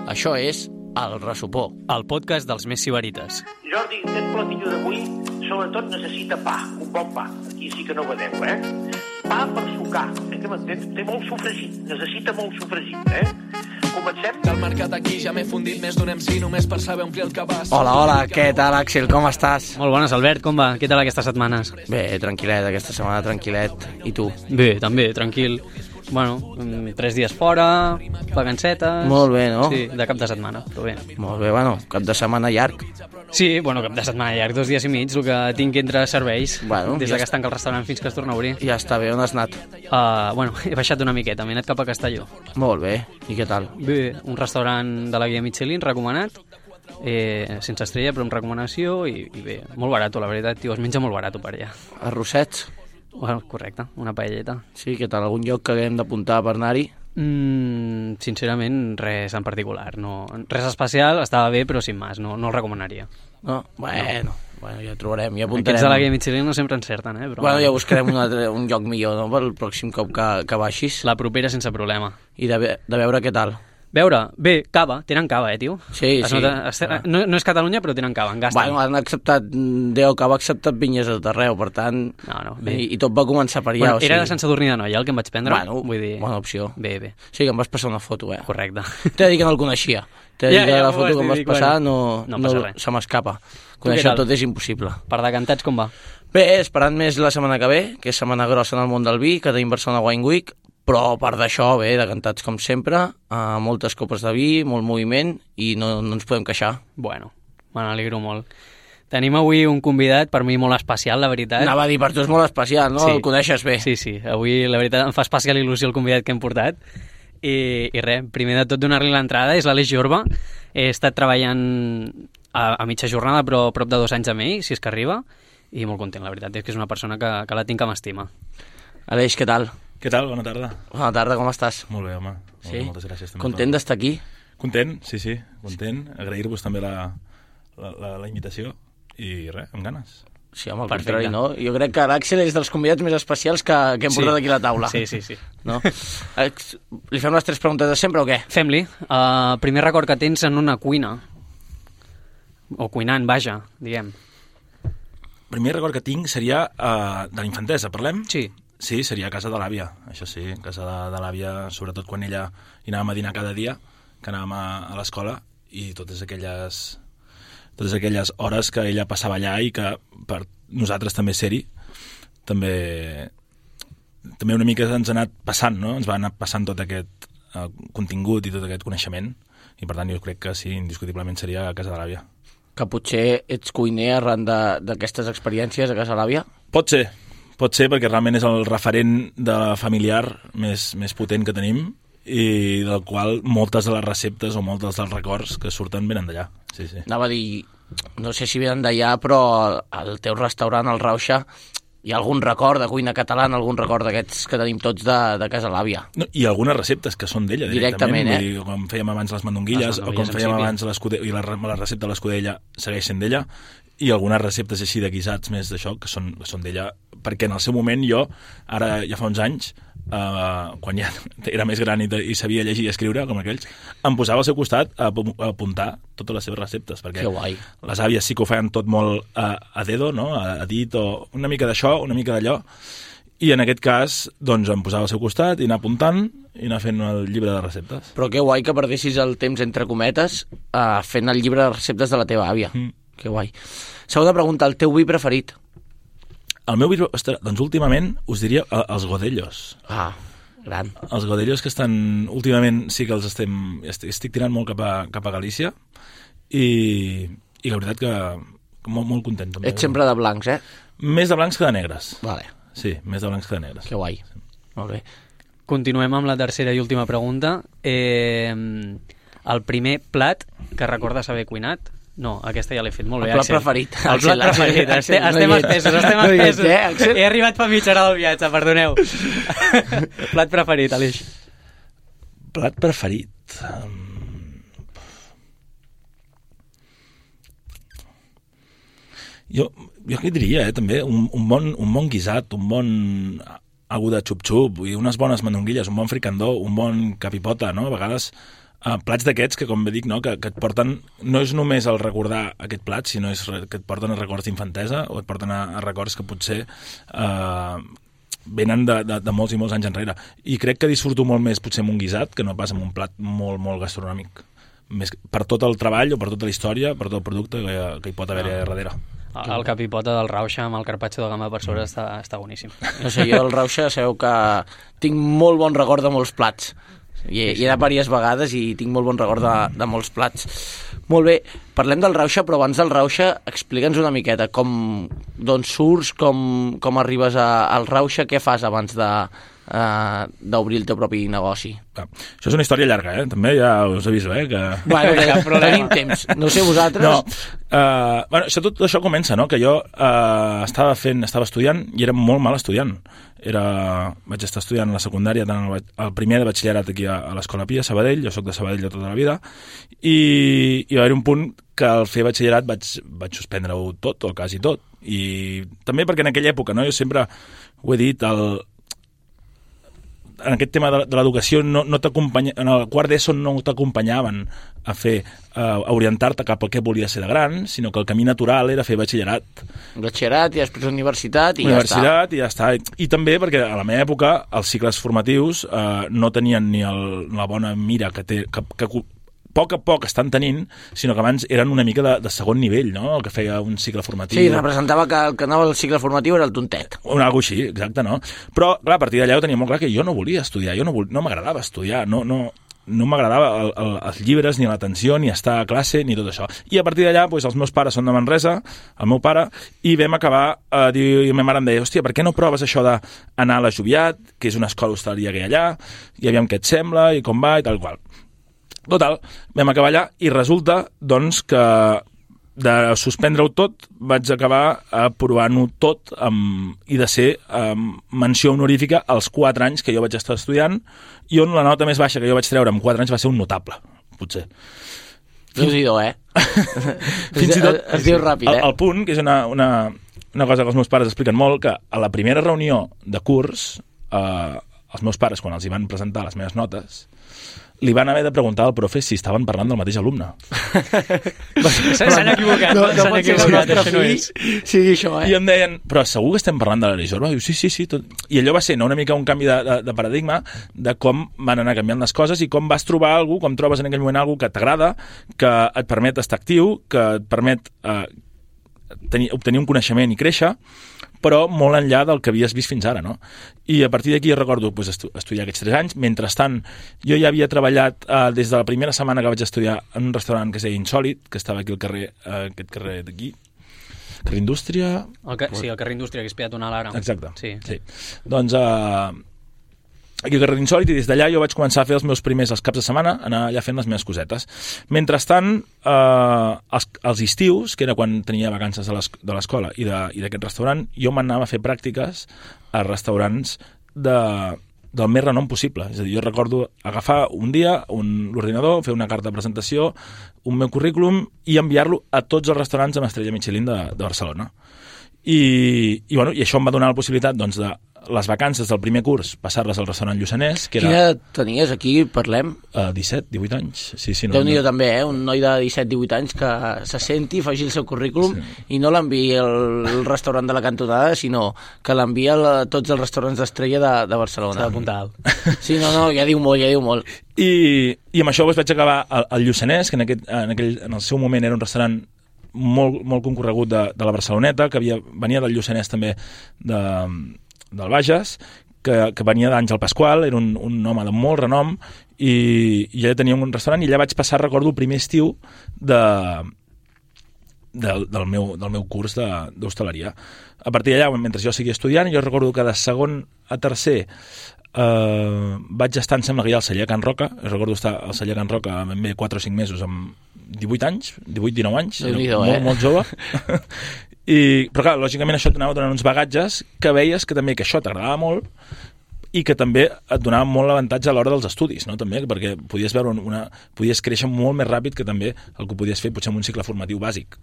Això és El Ressopó, el podcast dels més sibarites. Jordi, aquest platillo d'avui sobretot necessita pa, un bon pa. Aquí sí que no vedeu, Pa per sucar, que m'entens? Té molt sofregit, necessita molt sofregit, Comencem? Del mercat aquí ja m'he fundit més d'un MC només per saber omplir el cabàs. Hola, què tal, Àxel, com estàs? Molt bones, Albert, com va? Què tal aquestes setmanes? Bé, tranquil·let, aquesta setmana tranquil·let. I tu? Bé, també, tranquil. Bueno, 3 dies fora, vacancetes... Molt bé, no? Sí, de cap de setmana, però bé. Molt bé, bueno, cap de setmana llarg. Sí, bueno, cap de setmana llarg, 2 dies i mig, el que tinc entre serveis, Bueno, des ja que es tanca el restaurant fins que es torna a obrir. Ja està bé, on has anat? Bueno, he baixat una miqueta, m'he anat cap a Castelló. Molt bé, i què tal? Bé, un restaurant de la guia Michelin, recomanat, sense estrella, però amb recomanació, i bé, molt barat, la veritat, tio, es menja molt barat per allà. Arrossets? Bueno, correcte, una paelleta. Sí, què tal? Algun lloc que haguem d'apuntar per anar-hi? Sincerament, res en particular. No, res especial, estava bé, però sin más, no el recomanaria. No? Bueno, ja trobarem, ja apuntarem. Aquests de la guia Michelin no sempre encerten, Però... Bueno, ja buscarem un lloc millor, no?, pel pròxim cop que baixis. La propera sense problema. I de veure què tal. Veure, bé, cava, tenen cava, tio? Sí, es sí. Nota, no és Catalunya, però tenen cava, en gasten. Bueno, han acceptat, Déu que ha acceptat vinyes a tot arreu, per tant... No, bé. I tot va començar per allà. Bueno, era de Sant Sadurní d'Anoia el que em vaig prendre. Bueno, vull dir... bona opció. Bé. Sí, que em vas passar una foto, Correcte. T'he de dir que no el coneixia. T'he de dir que la foto que em vas passar no passa res. se m'escapa. Conèixer tot és impossible. Per decantats, com va? Bé, esperant més la setmana que ve, que és setmana grossa en el món del vi, que tenim Barcelona Wine Week, però a part d'això, bé, decantats com sempre, moltes copes de vi, molt moviment, i no ens podem queixar. Bueno, me n'alegro molt. Tenim avui un convidat, per mi molt especial, la veritat. Anava a dir, per tu és molt especial, no? Sí. El coneixes bé. Sí, avui la veritat em fa especial il·lusió el convidat que hem portat. I res, primer de tot donar-li l'entrada, és l'Aleix Jorba. He estat treballant a mitja jornada, però prop de 2 anys amb ell, si és que arriba, i molt content, la veritat, és que és una persona que la tinc que m'estima. Aleix, què tal? Què tal? Bona tarda. Bona tarda, com estàs? Molt bé, home. Sí? Moltes gràcies. També Content d'estar aquí? Content, sí, content. Agrair-vos també la invitació i res, amb ganes. Sí, home, al Perfecte. contrari, no? Jo crec que l'Àxel és dels convidats més especials que hem portat aquí a la taula. Sí. No? Li fem les 3 preguntes de sempre o què? Fem-li. Primer record que tens en una cuina, o cuinant, vaja, diguem. Primer record que tinc seria de la infantesa, parlem? Sí. Sí, seria a casa de l'àvia, això sí, casa de l'àvia, sobretot quan ella hi anàvem a dinar cada dia, que anàvem a l'escola, i totes aquelles hores que ella passava allà i que per nosaltres també ser-hi, també una mica ens ha anat passant, no? Ens va anar passant tot aquest contingut i tot aquest coneixement, i per tant jo crec que sí, indiscutiblement seria a casa de l'àvia. Que potser ets cuiner arran d'aquestes experiències a casa de l'àvia? Pot ser perquè realment és el referent de familiar més potent que tenim i del qual moltes de les receptes o moltes dels records que surten venen d'allà. Sí. Anava a dir, no sé si venen d'allà, però al teu restaurant, al Rauxa, hi ha algun record de cuina catalana, algun record d'aquests que tenim tots de casa de l'àvia? No, i algunes receptes que són d'ella directament. Vull dir, com fèiem abans les mandonguilles o com fèiem abans la recepta de l'escudella segueix sent d'ella, i algunes receptes així de guisats més d'això que són d'ella, perquè en el seu moment jo, ara ja fa uns anys, quan ja era més gran i sabia llegir i escriure com aquells, em posava al seu costat a apuntar totes les seves receptes, perquè les àvies sí que ho feien tot molt a dedo, no? A dit, o una mica d'això, una mica d'allò, i en aquest cas doncs em posava al seu costat i anar apuntant i anar fent el llibre de receptes. Però que guai que perdessis el temps entre cometes fent el llibre de receptes de la teva àvia. Que guai. Segona pregunta, el teu vi preferit? El meu vi, doncs últimament us diria els godellos. Gran. Els godellos que estan, últimament sí que els estic tirant molt cap a Galícia i la veritat que molt content. També. Ets sempre de blancs, Més de blancs que de negres. Vale. Sí, més de blancs que de negres. Que guai. Molt bé. Continuem amb la tercera i última pregunta. El primer plat que recordes haver cuinat? No, aquesta ja l'he fet molt bé, Axel. El plat preferit. Estem espesos. He arribat fa mitja hora del viatge, perdoneu. Plat preferit, Aleix. Plat preferit... Jo què diria, també? Un bon guisat, un bon algú de xup-xup, unes bones mandonguilles, un bon fricandó, un bon capipota, no? A vegades plats d'aquests que, com bé dic, no? que et porten, no és només el recordar aquest plat, sinó que et porten a records d'infantesa o et porten a records que potser venen de molts i molts anys enrere. I crec que disfruto molt més potser amb un guisat que no pas amb un plat molt, molt gastronòmic. Més per tot el treball o per tota la història, per tot el producte que hi pot haver darrere. El capipota del Rauxa amb el carpaccio de gamba per sobre està boníssim. No sé, jo el Rauxa sabeu que tinc molt bon record de molts plats. Hi he anat diverses vegades i tinc molt bon record de molts plats. Molt bé, parlem del Rauxa, però abans del Rauxa explica'ns una miqueta d'on surts, com arribes al Rauxa, què fas abans d'obrir el teu propi negoci. Això és una història llarga, també ja us aviso, que... Bueno, tenim temps. No sé vosaltres... No, tot això comença, no? Que jo estava estudiant i era molt mal estudiant. Vaig estar estudiant a la secundària, tant el primer de batxillerat aquí a l'Escola Pia, a Sabadell, jo soc de Sabadell de tota la vida, i va haver un punt que al fer batxillerat vaig suspendre-ho tot, o quasi tot, i també perquè en aquella època, no? Jo sempre ho he dit, en aquest tema de l'educació no t'acompanya, en el quart d'ESO no t'acompanyaven a orientar-te cap al que volia ser de gran, sinó que el camí natural era fer batxillerat. Batxillerat i després universitat i ja està. I també perquè a la meva època els cicles formatius no tenien ni la bona mira que a poc estan tenint, sinó que abans eren una mica de segon nivell, no?, el que feia un cicle formatiu. Sí, representava que el que anava al cicle formatiu era el tontet. Una cosa així, exacte, no? Però, clar, a partir d'allà ho tenia molt clar que jo no volia estudiar, no m'agradava estudiar, no m'agradava els llibres, ni l'atenció, ni estar a classe, ni tot això. I a partir d'allà, els meus pares són de Manresa, el meu pare, i vam acabar a dir, i la meva mare em deia, hòstia, per què no proves això d'anar a la Joviat, que és una escola hostaleria que hi ha allà, i aviam què et sembla, i com va, i tal qual. Total, vam acabar allà i resulta, doncs, que de suspendre-ho tot vaig acabar provant-ho tot i de ser menció honorífica als 4 anys que jo vaig estar estudiant i on la nota més baixa que jo vaig treure en 4 anys va ser un notable, potser. Déu-n'hi-do, Fins i tot es diu ràpid, el punt, que és una cosa que els meus pares expliquen molt, que a la primera reunió de curs els meus pares, quan els hi van presentar les meves notes, li van haver de preguntar al profe si estaven parlant del mateix alumne. S'han equivocat. No pot ser que el nostre fill sigui això, I em deien, però segur que estem parlant de l'Ari Jorba? Diu, sí. Tot. I allò va ser una mica un canvi de paradigma de com van anar canviant les coses i com vas trobar algú, com trobes en aquell moment algú que t'agrada, que et permet estar actiu, que et permet obtenir un coneixement i créixer, però molt enllà del que havies vist fins ara, no? I a partir d'aquí recordo estudiar aquests 3 anys. Mentrestant, jo ja havia treballat des de la primera setmana que vaig estudiar en un restaurant que es deia Insòlit, que estava aquí al carrer, aquest carrer d'aquí, carrer Indústria... Sí, el carrer Indústria, que és peatonal ara. Exacte. Sí. Doncs aquí al carrer Insòlit, i des d'allà jo vaig començar a fer els meus primers els caps de setmana, anar allà fent les meves cosetes. Mentrestant, els estius, que era quan tenia vacances de l'escola i d'aquest restaurant, jo m'anava a fer pràctiques a restaurants del més renom possible. És a dir, jo recordo agafar un dia l'ordinador, fer una carta de presentació, un meu currículum i enviar-lo a tots els restaurants amb estrella Michelin de Barcelona. I això em va donar la possibilitat, doncs, de les vacances del primer curs, passar-les al restaurant Lluçanès, que era... Quina edat tenies aquí, parlem? 17, 18 anys. Sí, Déu-n'hi-do també, un noi de 17-18 anys que se senti, faci el seu currículum i no l'enviï al restaurant de la cantonada, sinó que l'envia a tots els restaurants d'estrella de Barcelona. S'ha d'apuntar alt. Sí, no, ja diu molt. I amb això vaig acabar al Lluçanès, que en el seu moment era un restaurant molt concorregut de la Barceloneta, que venia del Lluçanès també del Bages, que venia d'Àngel Pasqual, era un home de molt renom, i ja tenia un restaurant, i allà vaig passar, recordo, el primer estiu del meu curs d'hostaleria. A partir d'allà, mentre jo seguia estudiant, jo recordo que de segon a tercer vaig estar, em sembla que ja al celler Can Roca, recordo estar al celler Can Roca ben bé 4 o 5 mesos amb 18 anys, 18-19 anys, molt jove. Però clar, lògicament això t'anava donant uns bagatges que veies que també que això t'agradava molt i que també et donava molt l'avantatge a l'hora dels estudis, no? També, perquè podies veure podies créixer molt més ràpid que també el que podies fer potser en un cicle formatiu bàsic.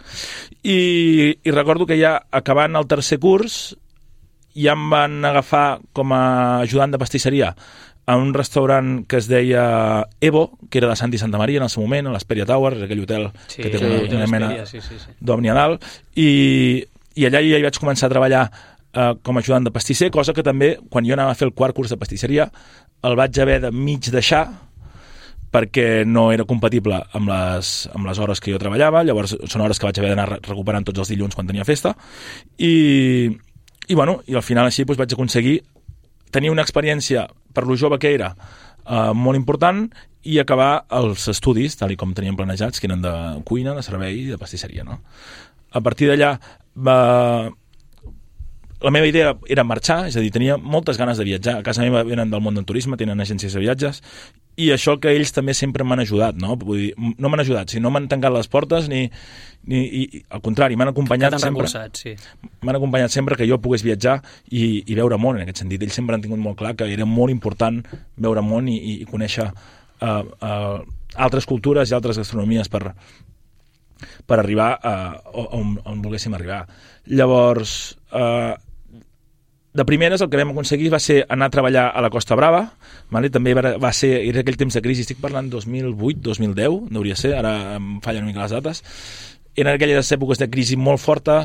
I recordo que ja acabant el tercer curs ja em van agafar com a ajudant de pastisseria a un restaurant que es deia Evo, que era de Santi Santa Maria en el seu moment, a l'Hesperia Tower, aquell hotel que té una mena d'òmnia a dalt, i allà ja hi vaig començar a treballar com a ajudant de pastisser, cosa que també, quan jo anava a fer el quart curs de pastisseria, el vaig haver de mig deixar perquè no era compatible amb les hores que jo treballava. Llavors són hores que vaig haver d'anar recuperant tots els dilluns quan tenia festa, i al final així vaig aconseguir tenir una experiència, per lo jove que era, molt important, i acabar els estudis, tal com teníem planejats, que eren de cuina, de servei i de pastisseria, no? A partir d'allà la meva idea era marxar, és a dir, tenia moltes ganes de viatjar. A casa meva venen del món del turisme, tenen agències de viatges, i això que ells també sempre m'han ajudat, no? Vull dir, no m'han ajudat, no m'han tancat les portes, ni al contrari, m'han acompanyat sempre. Sí. M'han acompanyat sempre que jo pogués viatjar i veure món, en aquest sentit. Ells sempre han tingut molt clar que era molt important veure món i conèixer altres cultures i altres gastronomies per arribar on volguéssim arribar. Llavors, de primeres el que vam aconseguir va ser anar a treballar a la Costa Brava, vale? També va ser, era aquell temps de crisi, estic parlant 2008-2010, hauria de ser, ara em fallen una mica les dates. Eren aquelles èpoques de crisi molt forta,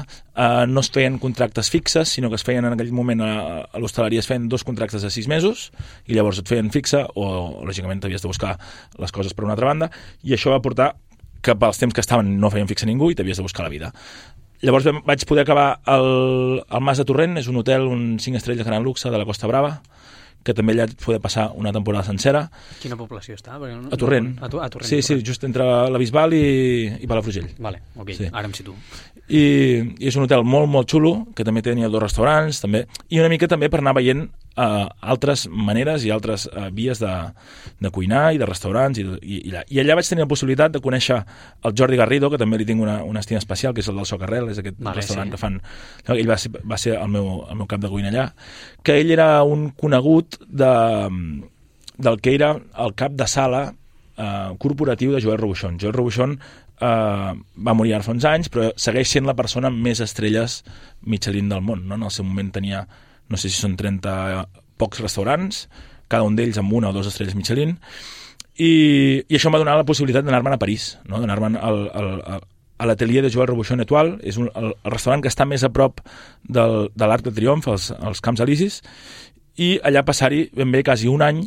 no es feien contractes fixes, sinó que es feien en aquell moment a l'hostaleria, es feien 2 contractes de 6 mesos, i llavors et feien fixa, o lògicament t'havies de buscar les coses per una altra banda, i això va portar que pels temps que estaven no feien fixa ningú i t'havies de buscar la vida. Llavors vaig poder acabar al Mas de Torrent, és un hotel, un 5 estrelles de gran luxe de la Costa Brava, que també allà et poder passar una temporada sencera. Quina població està? A Torrent. A Torrent. Sí, just entre la Bisbal i Palafrugell. Vale, ok, sí. Ara em situo. I és un hotel molt, molt xulo, que també tenia 2 restaurants, també, i una mica també per anar veient altres maneres i altres vies de cuinar i de restaurants, i allà vaig tenir la possibilitat de conèixer el Jordi Garrido, que també li tinc una estima especial, que és el del Socarrel, és aquest restaurant que fan. Ell va ser el meu cap de cuina allà, que ell era un conegut del que era el cap de sala corporatiu de Joel Robuchon. Joel Robuchon va morir ara fa uns anys, però segueix sent la persona amb més estrelles Michelin del món, no? En el seu moment tenia, no sé si són 30 pocs restaurants, cada un d'ells amb 1 o 2 estrelles Michelin, i això em va donar la possibilitat d'anar-me'n a París, no? D'anar-me'n a l'atelier de Joel Robuchon Étoile, és el restaurant que està més a prop de l'Arc de Triomf, als Camps Elisis, i allà passar-hi ben bé quasi un any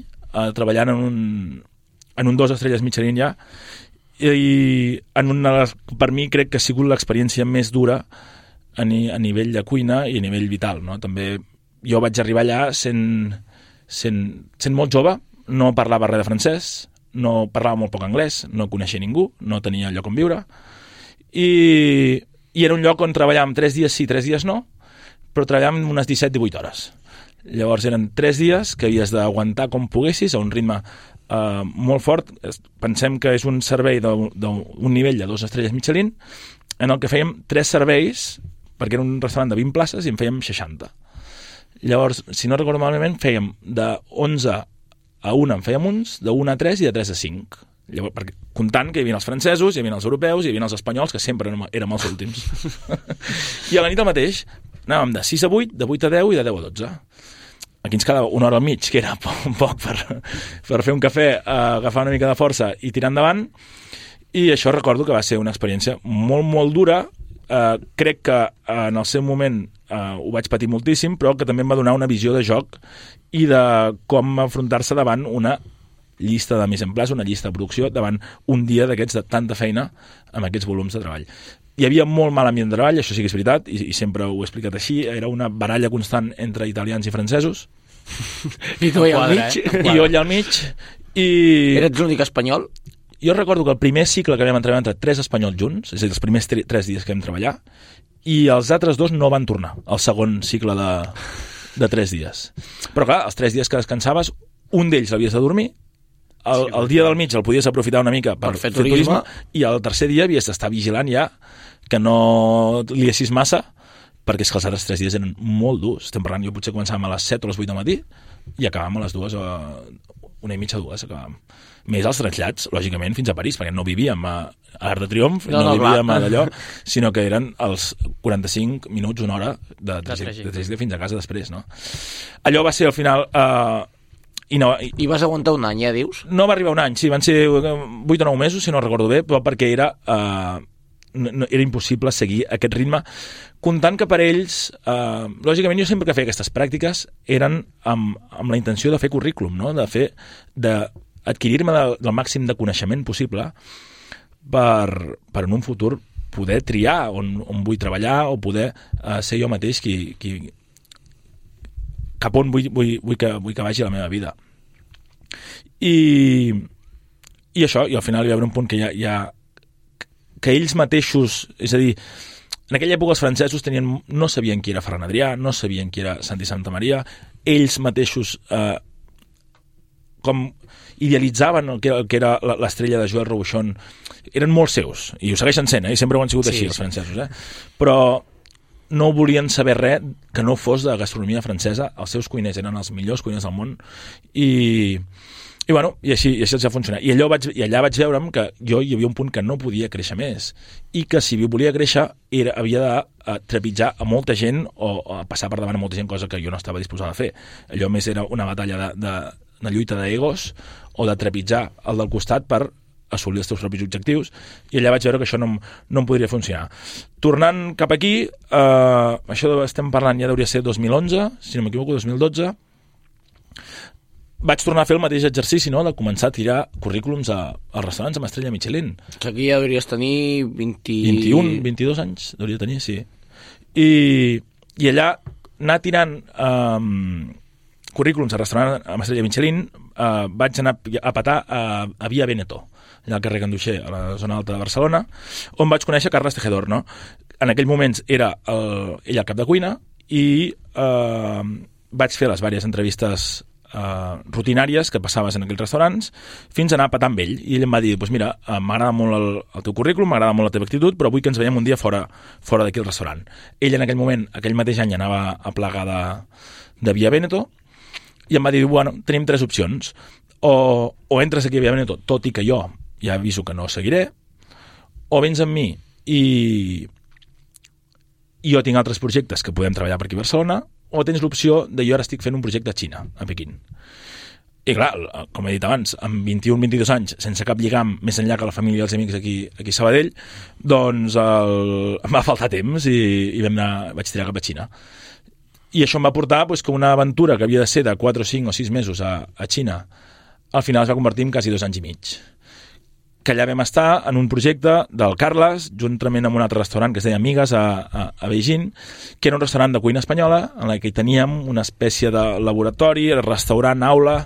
treballant en un 2 estrelles Michelin ja, i per mi crec que ha sigut l'experiència més dura a nivell de cuina i a nivell vital, no? També jo vaig arribar allà sent molt jove, no parlava res de francès, no parlava molt poc anglès, no coneixia ningú, no tenia lloc on viure, i era un lloc on treballàvem 3 dies sí, 3 dies no, però treballàvem unes 17-18 hores. Llavors eren 3 dies que havies d'aguantar com poguessis a un ritme molt fort. Pensem que és un servei d'un nivell de 2 estrelles Michelin, en el que fèiem 3 serveis, perquè era un restaurant de 20 places i en fèiem 60. Llavors, si no recordo malament, fèiem de 11 a 1 en fèiem uns, de 1 a 3 i de 3 a 5. Llavors, comptant que hi havia els francesos, hi havia els europeus, hi havia els espanyols, que sempre érem els últims. I a la nit el mateix, anàvem de 6 a 8, de 8 a 10 i de 10 a 12. Aquí ens quedava una hora al mig, que era poc per fer un cafè, agafar una mica de força i tirar endavant, i això recordo que va ser una experiència molt, molt dura. Crec que en el seu moment ho vaig patir moltíssim, però que també em va donar una visió de joc i de com afrontar-se davant una llista de mise en place, una llista de producció, davant un dia d'aquests de tanta feina amb aquests volums de treball. Hi havia molt mal ambient de treball, això sí que és veritat, i sempre ho he explicat així, era una baralla constant entre italians i francesos. I tu allà al mig. I jo allà al mig. Eres l'únic espanyol? Jo recordo que el primer cicle que vam treballar entre 3 espanyols junts, és a dir, els primers 3 dies que vam treballar, i els altres 2 no van tornar al segon cicle de 3 dies. Però clar, els 3 dies que descansaves, un d'ells l'havies de dormir, el dia del mig el podies aprofitar una mica per fer turisme, i el tercer dia havies d'estar vigilant ja que no liessis massa, perquè és que els altres 3 dies eren molt durs. Estem parlant, jo potser començàvem a les 7 o les 8 del matí i acabàvem a les 2 1:30, 2 acabàvem. Més els trasllats, lògicament, fins a París, perquè no vivíem a l'Arc de Triomf, no vivíem a d'allò, sinó que eren els 45 minuts, una hora de trajecte fins a casa després, no? Allò va ser al final... I vas aguantar un any, ja dius? No va arribar un any, sí, van ser 8 o 9 mesos, si no recordo bé, però perquè era impossible seguir aquest ritme, comptant que per ells, lògicament jo sempre que feia aquestes pràctiques eren amb la intenció de fer currículum, no? D'adquirir-me del màxim de coneixement possible per en un futur poder triar on vull treballar o poder ser jo mateix cap on vull que vagi la meva vida. I això, i al final hi va haver un punt que que ells mateixos, és a dir, en aquella època els francesos no sabien qui era Ferran Adrià, no sabien qui era Santi Santamaria, ells mateixos com idealitzaven el que era l'estrella de Joel Robuchon, eren molt seus, i ho segueixen sent, i sempre ho han sigut així, els francesos, però no volien saber res que no fos de gastronomia francesa. Els seus cuiners eren els millors cuiners del món i així els va funcionar. I allà vaig veure'm que jo hi havia un punt que no podia créixer més i que si volia créixer havia de trepitjar a molta gent o passar per davant a molta gent, cosa que jo no estava disposada a fer. Allò més era una batalla de lluita d'egos o de trepitjar el del costat per assolir els teus propis objectius, i allà vaig veure que això no em podria funcionar. Tornant cap aquí, això estem parlant, ja hauria ser 2011, si no m'equivoco, 2012, vaig tornar a fer el mateix exercici, no?, de començar a tirar currículums als restaurants amb estrella Michelin. Que aquí ja hauries tenir 21, 22 anys, hauria tenir, sí. I allà anar tirant currículums a restaurant amb estrella Michelin, vaig anar a petar a Via Veneto, allà al carrer Ganduxer, a la zona alta de Barcelona, on vaig conèixer Carles Tejedor, no? En aquell moments era ell el cap de cuina i vaig fer les diverses entrevistes rutinàries que passaves en aquells restaurants fins a anar a petar amb ell, i ell em va dir, doncs mira, m'agrada molt el teu currículum, m'agrada molt la teva actitud, però vull que ens veiem un dia fora d'aquí al restaurant. Ell en aquell moment, aquell mateix any, anava a plegar de Via Veneto i em va dir, bueno, tenim 3 opcions, o entres aquí a Via Veneto, tot i que jo ja aviso que no seguiré, o vens amb mi i jo tinc altres projectes que podem treballar per aquí a Barcelona, o tens l'opció de jo ara estic fent un projecte a Xina, a Pequín. I clar, com he dit abans, amb 21-22 anys, sense cap lligam més enllà que la família i els amics aquí a Sabadell, doncs em va faltar temps i vaig tirar cap a Xina. I això em va portar que una aventura que havia de ser de 4 o 5 o 6 mesos a Xina, al final es va convertir en quasi 2 anys i mig. Que allà vam estar en un projecte del Carles, juntament amb un altre restaurant que es deia Amigues a Beijing, que era un restaurant de cuina espanyola en què teníem una espècie de laboratori, restaurant, aula,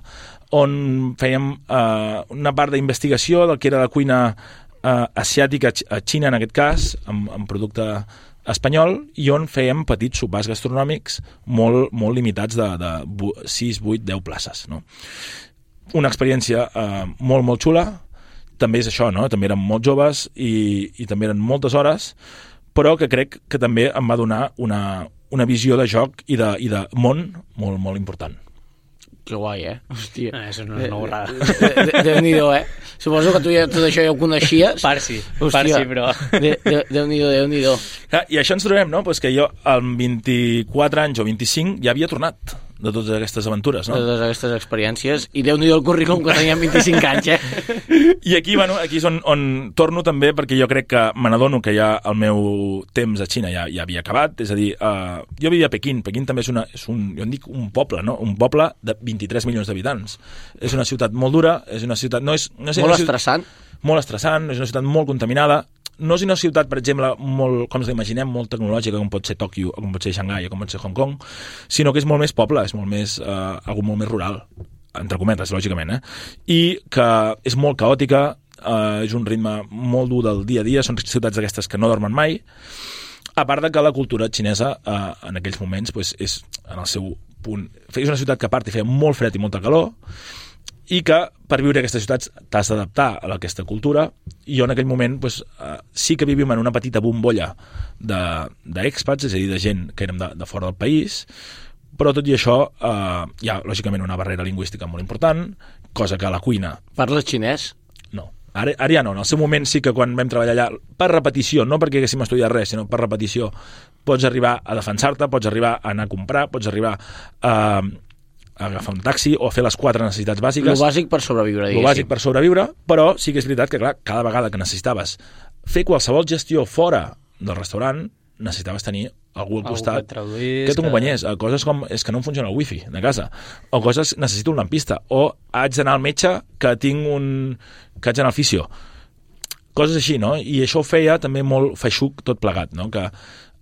on fèiem una part d'investigació del que era la cuina asiàtica a Xina, en aquest cas, amb producte espanyol, i on fèiem petits sopars gastronòmics molt, molt limitats de 6, 8, 10 places, no? Una experiència molt, molt xula. També és això, no? També eren molt joves i també eren moltes hores, però que crec que també em va donar una visió de joc i de món molt, molt important. Que guai, Hòstia. Això no és una borrada. Déu-n'hi-do, Suposo que tu ja tot això ja ho coneixies. Parsi, però... Déu-n'hi-do, Déu-n'hi-do. I això ens trobem, no? Que jo, amb 24 anys o 25, ja havia tornat de totes aquestes aventures, no? De totes aquestes experiències. I Déu-n'hi-do el currículum que tenia amb 25 anys, I aquí és on torno també, perquè jo crec que me n'adono que ja el meu temps a Xina ja havia acabat. És a dir, jo vivia a Pequín. Pequín també jo en dic un poble, no? Un poble de 23 milions d'habitants. És una ciutat molt dura, és una ciutat... Molt estressant. Molt estressant, és una ciutat molt contaminada. No és una ciutat, per exemple, molt, com ens l'imaginem, molt tecnològica, com pot ser Tòquio, com pot ser Xangai, com pot ser Hong Kong, sinó que és molt més poble, és molt més, algo molt més rural, entre cometes, lògicament, i que és molt caòtica, és un ritme molt dur del dia a dia, són ciutats d'aquestes que no dormen mai, a part de que la cultura xinesa en aquells moments és en el seu punt. És una ciutat que a part hi feia molt fred i molta calor, i que per viure a aquestes ciutats t'has d'adaptar a aquesta cultura, i jo en aquell moment sí que vivíem en una petita bombolla d'expats, és a dir, de gent que érem de fora del país, però tot i això hi ha lògicament una barrera lingüística molt important, cosa que a la cuina... Parles xinès? No. Ara ja no. En el seu moment sí que quan vam treballar allà, per repetició, no perquè haguéssim estudiat res, sinó per repetició, pots arribar a defensar-te, pots arribar a anar a comprar, pots arribar a agafar un taxi o fer les 4 necessitats bàsiques. Lo bàsic per sobreviure, diguéssim. Lo bàsic per sobreviure, però sí que és veritat que, clar, cada vegada que necessitaves fer qualsevol gestió fora del restaurant, necessitaves tenir algú al costat que t'acompanyés a coses com és que no em funciona el wifi de casa, o coses, necessito un lampista, o haig d'anar al metge que haig d'anar al fisio, coses així, no? I això ho feia també molt feixuc tot plegat, no? Que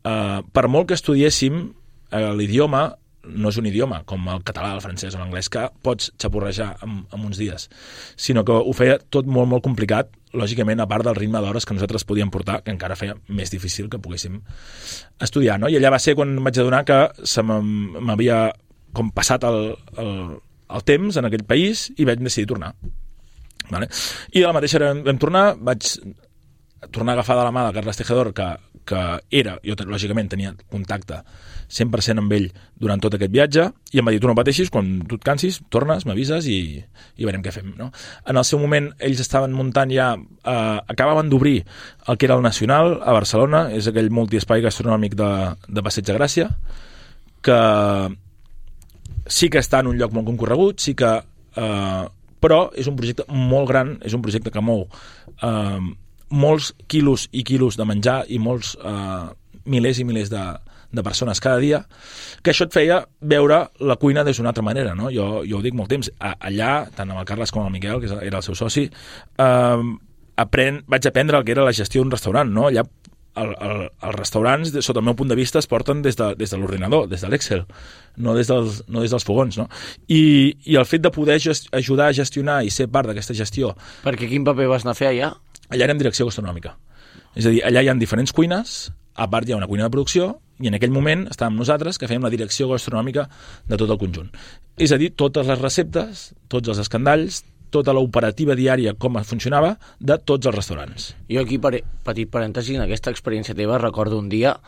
per molt que estudiéssim l'idioma, no és un idioma com el català, el francès o l'anglès que pots xapurrejar en uns dies, sinó que ho feia tot molt, molt complicat, lògicament, a part del ritme d'hores que nosaltres podíem portar, que encara feia més difícil que poguéssim estudiar, no? I allà va ser quan vaig adonar que m'havia com passat el temps en aquell país i vaig decidir tornar. Vale? I de la mateixa vam tornar, vaig tornar a agafar de la mà de Carles Tejedor, que era, jo lògicament tenia contacte 100% amb ell durant tot aquest viatge, i em va dir, tu no pateixis, quan tu et cansis, tornes, m'avises i veurem què fem, no? En el seu moment, ells estaven muntant ja, acabaven d'obrir el que era el Nacional a Barcelona, és aquell multiespai gastronòmic de Passeig de Gràcia, que sí que està en un lloc molt concorregut, sí que... però és un projecte molt gran, és un projecte que mou molts quilos i quilos de menjar i molts milers i milers de persones cada dia, que això et feia veure la cuina des d'una altra manera, no? Jo ho dic molt temps, allà, tant amb el Carles com el Miquel, que era el seu soci, vaig aprendre el que era la gestió d'un restaurant, no? Allà els restaurants, sota el meu punt de vista, es porten des de l'ordinador, des de l'Excel, no des dels fogons, no? I el fet de poder ajudar a gestionar i ser part d'aquesta gestió... Perquè quin paper vas anar a fer allà? Allà érem direcció gastronòmica. És a dir, allà hi ha diferents cuines, a part hi ha una cuina de producció, i en aquell moment estàvem nosaltres que fèiem la direcció gastronòmica de tot el conjunt. És a dir, totes les receptes, tots els escandalls, tota l'operativa diària, com funcionava, de tots els restaurants. Jo aquí, petit parèntesi, en aquesta experiència teva, recordo un dia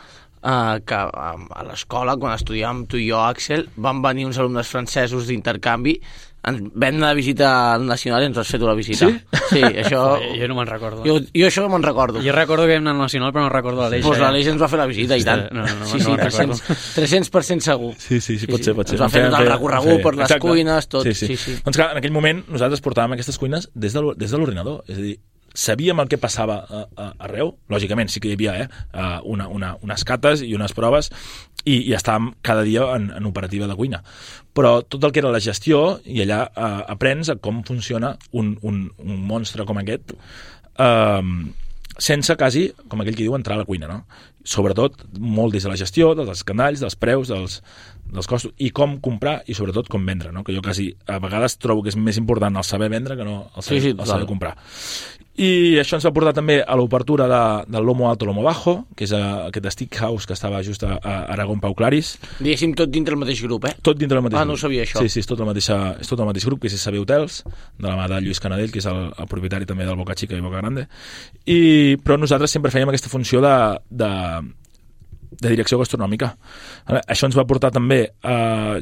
que a l'escola, quan estudiàvem tu i jo, Àxel, van venir uns alumnes francesos d'intercanvi, vam anar de visita al Nacional i ens has fet una visita. Sí? Sí, això... Jo no me'n recordo. Jo això me'n recordo. Jo recordo que vam anar al Nacional, però no recordo l'Aleix. Doncs l'Aleix ens va fer la visita, i tant. No, sí, 300% segur. Sí, pot ser. Ens va fer tot el recorregut per les cuines, tot. Sí. Doncs clar, en aquell moment nosaltres portàvem aquestes cuines des de l'ordinador, és a dir, sabíem el que passava arreu, lògicament sí que hi havia unes cates i unes proves i estàvem cada dia en operativa de cuina, però tot el que era la gestió, i allà aprens a com funciona un monstre com aquest sense quasi, com aquell que diu, entrar a la cuina, no? Sobretot molt des de la gestió, dels escandalls, dels preus, dels costos, i com comprar i sobretot com vendre, no? Que jo quasi a vegades trobo que és més important el saber vendre que no el saber comprar. I això ens va portar també a l'obertura del Lomo Alto, Lomo Bajo, que és aquest steakhouse que estava just a Aragón Pau Claris. Diguéssim, tot dintre el mateix grup, Tot dintre el mateix grup. No ho sabia, això. Sí, és tot el mateix grup, que és SB Hotels, de la mà de Lluís Canadell, que és el propietari també del Boca Chica i Boca Grande. Però nosaltres sempre fèiem aquesta funció de direcció gastronòmica. Això ens va portar també,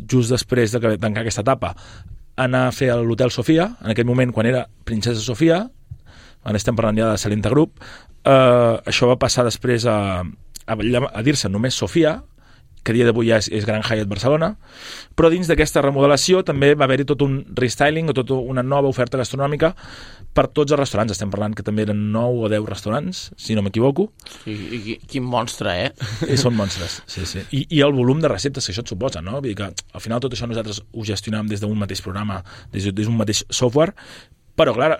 just després de tancar aquesta etapa, a anar a fer a l'Hotel Sofia, en aquell moment quan era Princesa Sofia, ara estem parlant ja de Salenta Group, això va passar després a dir-se només Sofia, que a dia d'avui ja és Gran Hyatt Barcelona, però dins d'aquesta remodelació també va haver-hi tot un restyling o tota una nova oferta gastronòmica per tots els restaurants. Estem parlant que també eren 9 o 10 restaurants, si no m'equivoco. I quin monstre, Són monstres, sí. I el volum de receptes que això et suposa, no? Vull dir que al final tot això nosaltres ho gestionàvem des d'un mateix programa, des d'un mateix software, però clar,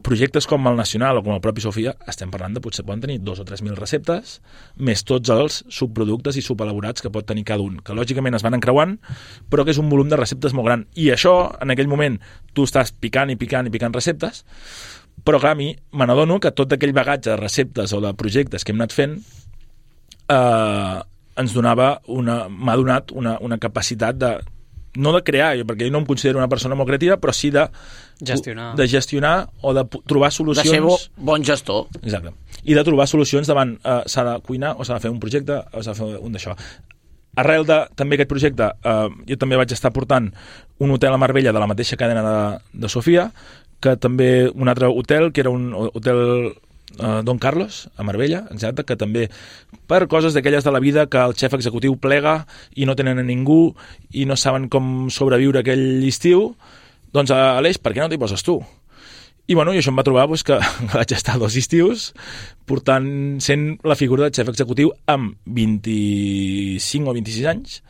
projectes com el Nacional o com el propi Sofia, estem parlant de potser poden tenir 2 o 3.000 receptes, més tots els subproductes i subelaborats que pot tenir cada un, que lògicament es van encreuant, però que és un volum de receptes molt gran. I això, en aquell moment, tu estàs picant receptes, però clar, a mi me n'adono que tot aquell bagatge de receptes o de projectes que hem anat fent m'ha donat una capacitat no de crear, perquè jo no em considero una persona molt creativa, però sí de gestionar o de trobar solucions... De ser bon gestor. Exacte. I de trobar solucions davant s'ha de cuinar o s'ha de fer un projecte o s'ha de fer un d'això. Arrel de també aquest projecte, jo també vaig estar portant un hotel a Marbella de la mateixa cadena de Sofia, que també un altre hotel, que era un hotel Don Carlos, a Marbella, exacte, que també per coses d'aquelles de la vida que el xef executiu plega i no tenen a ningú i no saben com sobreviure aquell estiu, doncs Aleix, per què no t'hi poses tu? I bueno, i això em va trobar que vaig estar 2 estius sent la figura del xef executiu amb 25 o 26 anys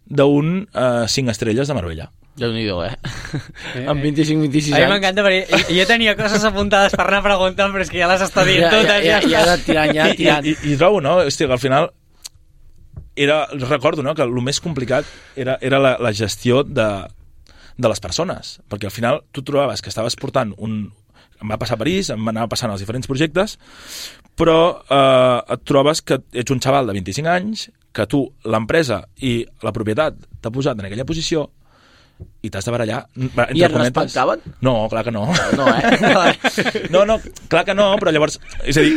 d'un 5 estrelles de Marbella. Déu-n'hi-do, amb 25-26 anys. A mi m'encanta, perquè jo tenia coses apuntades per anar preguntant, però és que ja les està dient totes. Ja tirant. I trobo, no? Hòstia, que al final recordo, no?, que el més complicat era la gestió de les persones, perquè al final tu trobaves que estaves portant em va passar a París, em anava passant als diferents projectes, però et trobes que ets un xaval de 25 anys, que tu, l'empresa i la propietat t'ha posat en aquella posició i t'has de barallar. I et respectaven? No, clar que no. No, No, clar que no, però llavors, és a dir,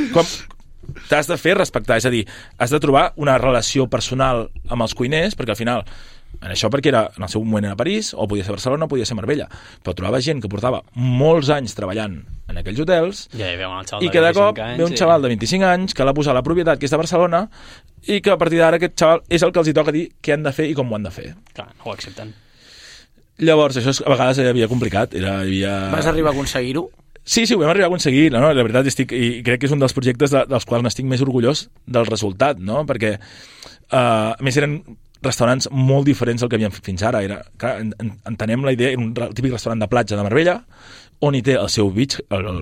t'has de fer respectar, és a dir, has de trobar una relació personal amb els cuiners, perquè al final, en això perquè en el seu moment era París, o podia ser Barcelona, o podia ser Marbella, però trobava gent que portava molts anys treballant en aquells hotels, i que de cop ve un xaval de 25 anys que l'ha posat la propietat, que és de Barcelona, i que a partir d'ara aquest xaval és el que els hi toca dir què han de fer i com ho han de fer. Clar, no ho accepten. Llavors, això a vegades havia complicat. Vas arribar a aconseguir-ho? Sí, ho vam arribar a aconseguir. No? La veritat, i crec que és un dels projectes dels quals n'estic més orgullós del resultat, no? Perquè, a més, eren restaurants molt diferents del que havíem fet fins ara. Clar, entenem la idea, era un típic restaurant de platja de Marbella, on hi té el seu el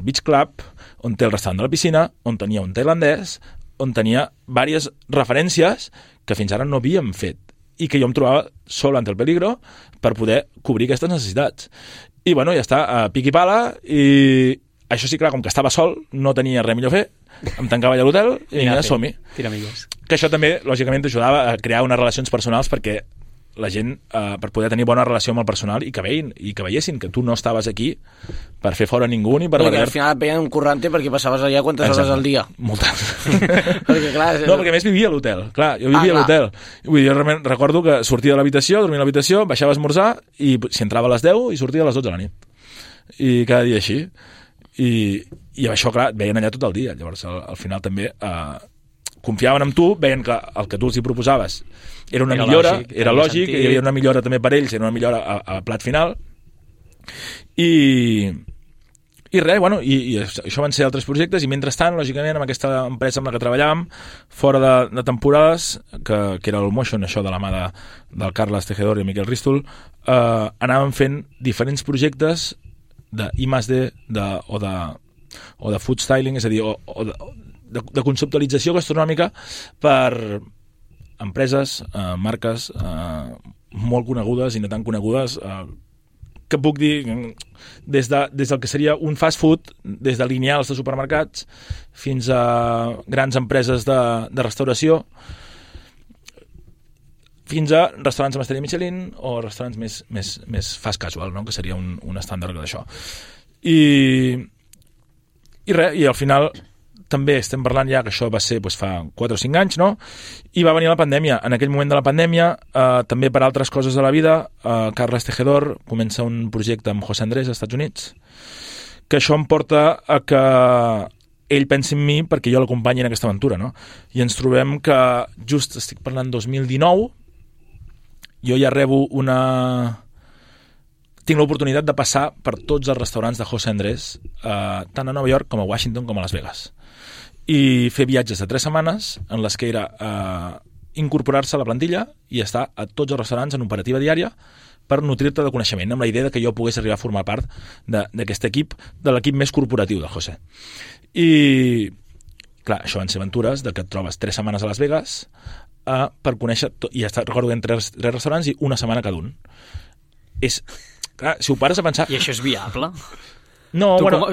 beach club, on té el restaurant de la piscina, on tenia un tailandès, on tenia diverses referències que fins ara no havíem fet i que jo em trobava sol ante el peligro per poder cobrir aquestes necessitats. I bueno, ja està, a pic i pala, i això sí, clar, com que estava sol, no tenia res millor a fer, em tancava allà a l'hotel i vinga, som-hi. Que això també, lògicament, t'ajudava a crear unes relacions personals perquè la gent, per poder tenir bona relació amb el personal i que veiessin que tu no estaves aquí per fer fora ningú ni per... Perquè al final et veien un currante perquè passaves allà quantes hores al dia. Moltes. Perquè, clar, no, perquè a més vivia a l'hotel. Clar, jo vivia a l'hotel. Vull dir, jo realment recordo que sortia de l'habitació, dormia a l'habitació, baixava a esmorzar i si entrava a les 10 i sortia a les 12 de la nit. I cada dia així. I això, clar, et veien allà tot el dia. Llavors, al final també... confiaven en tu, veien que el que tu els hi proposaves era una millora, era lògic, hi havia una millora també per ells, era una millora a plat final, i res, bueno, i això van ser altres projectes, i mentrestant, lògicament, amb aquesta empresa amb la que treballàvem, fora de temporades, que era el Motion, això de la mà del Carles Tejedor i Miquel Rístol, anàvem fent diferents projectes de I+D o de food styling, és a dir, de conceptualització gastronòmica per empreses, marques molt conegudes i no tan conegudes, que puc dir des del que seria un fast food, des de lineals de supermercats fins a grans empreses de restauració, fins a restaurants amb estrella Michelin o restaurants més fast casual, no? Que seria un estàndard d'això. I res, i al final també estem parlant ja que això va ser fa 4 o 5 anys, no? I va venir la pandèmia. En aquell moment de la pandèmia, també per altres coses de la vida, Carles Tejedor comença un projecte amb José Andrés als Estats Units, que això em porta a que ell pensi en mi perquè jo l'acompanyi en aquesta aventura, no? I ens trobem que just estic parlant 2019, jo ja rebo tinc l'oportunitat de passar per tots els restaurants de José Andrés, tant a Nova York com a Washington com a Las Vegas, i fer viatges de 3 setmanes en les que era incorporar-se a la plantilla i estar a tots els restaurants en operativa diària per nutrir-te de coneixement, amb la idea de que jo pogués arribar a formar part d'aquest equip, de l'equip més corporatiu de José. I clar, això van ser aventures de que et trobes 3 setmanes a Las Vegas per conèixer i recordo que en 3 restaurants i una setmana cada un. Clar, si ho pares a pensar... I això és viable? No,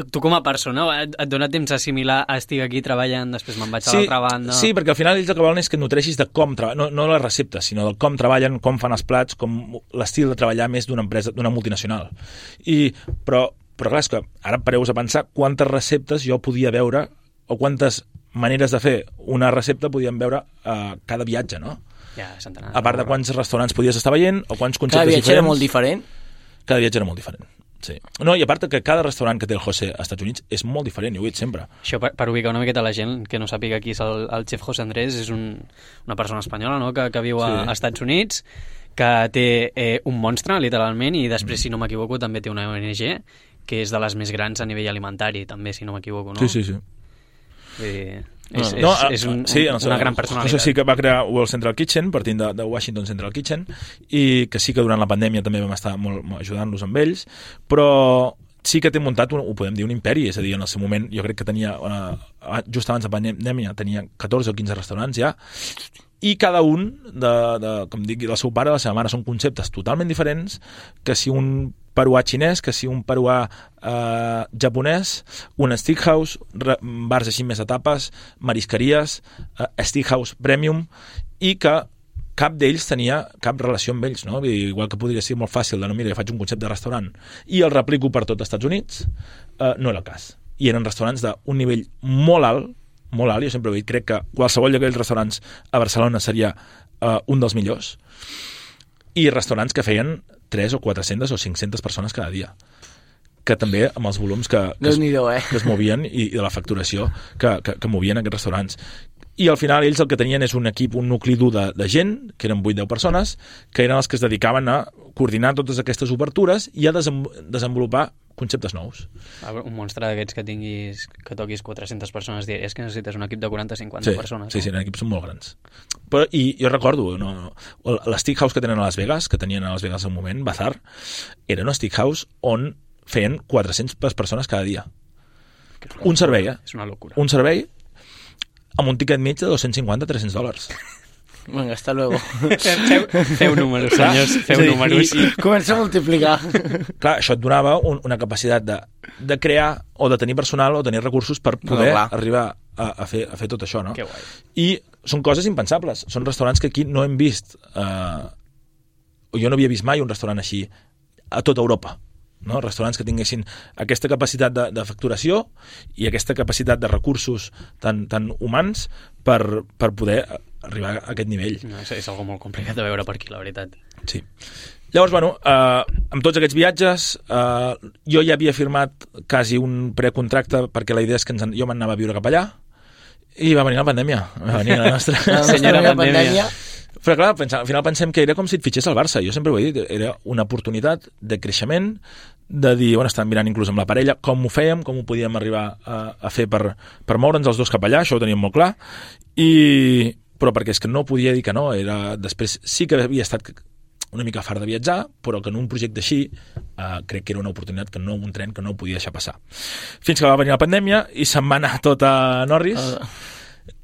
tu com a persona et dona temps a assimilar, estic aquí treballant, després me'n vaig a l'altra banda... Sí, perquè al final ells el que volen és que nutreixis de com treballen, no les receptes, sinó del com treballen, com fan els plats, com l'estil de treballar més d'una empresa, d'una multinacional. Però clar, és que ara pareu-vos a pensar quantes receptes jo podia veure o quantes maneres de fer una recepta podíem veure a cada viatge, no? Ja, centenars. A part de quants restaurants podies estar veient o quants conceptes diferents. Cada viatge era molt diferent? Cada viatge era molt diferent. Sí. No, i a part que cada restaurant que té el José als Estats Units és molt diferent, ho he dit sempre. Això per ubicar una miqueta la gent que no sàpiga qui és el xef José Andrés, és una persona espanyola, no?, que viu als Estats Units, que té un monstre, literalment, i després, si no m'equivoco, també té una ONG, que és de les més grans a nivell alimentari, també, si no m'equivoco, no? Sí. És una gran personalitat. No sé si que va crear el Central Kitchen, partint de Washington Central Kitchen, i que sí que durant la pandèmia també vam estar molt ajudant-los amb ells, però sí que té muntat, ho podem dir, un imperi, és a dir, en el seu moment jo crec que tenia, just abans de pandèmia, tenia 14 o 15 restaurants ja, i cada un, com dic, del seu pare i de la seva mare, són conceptes totalment diferents, que si un peruà xinès, que si un peruà japonès, un steakhouse, bars així més a tapes, marisqueries, steakhouse premium, i que cap d'ells tenia cap relació amb ells, no? Igual que podria ser molt fàcil de no, mira, jo faig un concepte de restaurant i el replico per tot els Estats Units, no era el cas. I eren restaurants d'un nivell molt alt, jo sempre ho he dit, crec que qualsevol d'aquells restaurants a Barcelona seria un dels millors, i restaurants que feien 3 o 400 o 500 persones cada dia, que també amb els volums que es movien i de la facturació que movien aquests restaurants. I al final ells el que tenien és un equip, un nucli dur de gent, que eren 8-10 persones, que eren els que es dedicaven a coordinar totes aquestes obertures i a desenvolupar conceptes nous. Un monstre d'aquests que toquis 400 persones diàries, que necessites un equip de 40-50 persones. Sí, eren equips molt grans. Però, i jo recordo, l'Steakhouse que tenen a Las Vegas, que tenien a Las Vegas al moment, Bazar, era un Steakhouse on feien 400 persones cada dia. Un servei, És una locura. Un servei amb un tiquet mig de $250-300. Venga, hasta luego. Feu números, senyors, feu números. Comença a multiplicar. Clar, això et donava una capacitat de crear o de tenir personal o tenir recursos per poder arribar a fer tot això, no? Que guai. I són coses impensables. Són restaurants que aquí no hem vist. Jo no havia vist mai un restaurant així a tota Europa. No? Restaurants que tinguessin aquesta capacitat de facturació i aquesta capacitat de recursos tan humans per poder arribar a aquest nivell. No, és algo molt complicat de veure per aquí, la veritat. Sí. Llavors, amb tots aquests viatges, jo ja havia firmat quasi un precontracte perquè la idea és que jo m'anava a viure cap allà i va venir la pandèmia. Va venir la nostra senyora pandèmia. Però clar, al final pensem que era com si et fitxés al Barça. Jo sempre ho he dit, era una oportunitat de creixement, de dir, estàvem mirant inclús amb la parella, com ho fèiem, com ho podíem arribar a fer per moure'ns els dos cap allà, això ho teníem molt clar, però perquè és que no podia dir que no. Després sí que havia estat una mica fart de viatjar, però que en un projecte així crec que era una oportunitat, un tren que no podia deixar passar. Fins que va venir la pandèmia i se'n va anar tot a Norris,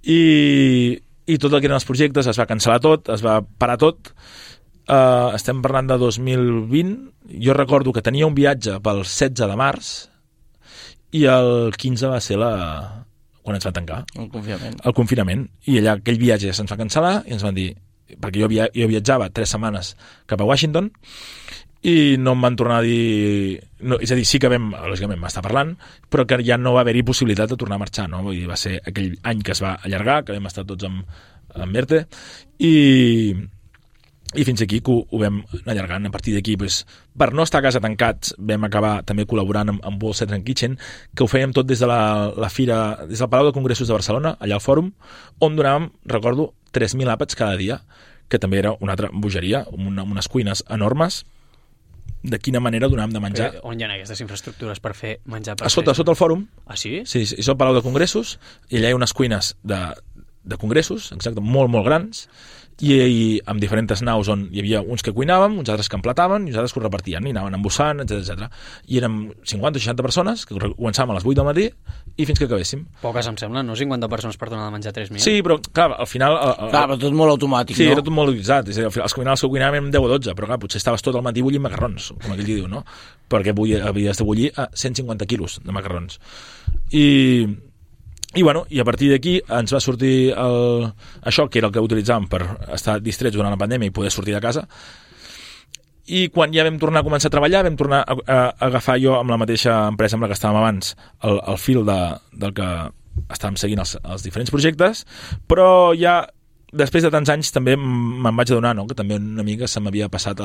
i tot el que eren els projectes es va cancel·lar tot, es va parar tot. Estem parlant de 2020. Jo recordo que tenia un viatge pel 16 de març i el 15 va ser quan ens va tancar. El confinament. I allà aquell viatge ja se'ns va cancel·lar i ens van dir, perquè jo viatjava 3 setmanes cap a Washington i no em van tornar a dir... No, és a dir, sí que lògicament va estar parlant, però que ja no va haver-hi possibilitat de tornar a marxar, no? Vull dir, va ser aquell any que es va allargar, que vam estar tots amb ERTE, i fins aquí que ho vam anar allargant. A partir d'aquí, per no estar a casa tancats, vam acabar també col·laborant amb World Central Kitchen, que ho fèiem tot des de la fira, des del Palau de Congressos de Barcelona, allà al Fòrum, on donàvem, recordo, 3.000 àpats cada dia, que també era una altra bogeria, amb unes cuines enormes. De quina manera donàvem de menjar. On hi ha aquestes infraestructures per fer menjar? A sota el Fòrum. Ah, sí? Sí, és el Palau de Congressos, i allà hi ha unes cuines de congressos, exacte, molt, molt grans, i amb diferents naus on hi havia uns que cuinàvem, uns altres que emplataven i uns altres que ho repartien i anaven embossant, etc. I érem 50 o 60 persones que començàvem a les 8 del matí i fins que acabéssim. Poques em sembla, no? 50 persones per donar de menjar 3.000. Sí, però clar, al final... Clar, però tot molt automàtic, sí, no? Sí, era tot molt utilitzat. És a dir, els que cuinàvem 10 o 12, però clar, potser estaves tot el matí bullint macarrons, com aquell diu, no? Perquè havies de bullir a 150 quilos de macarrons. I a partir d'aquí ens va sortir això, que era el que utilitzàvem per estar distrets durant la pandèmia i poder sortir de casa. I quan ja vam tornar a començar a treballar, vam tornar a agafar jo amb la mateixa empresa amb la que estàvem abans el fil del que estàvem seguint els diferents projectes, però ja després de tants anys també me'n vaig adonar, no?, que també una mica se m'havia passat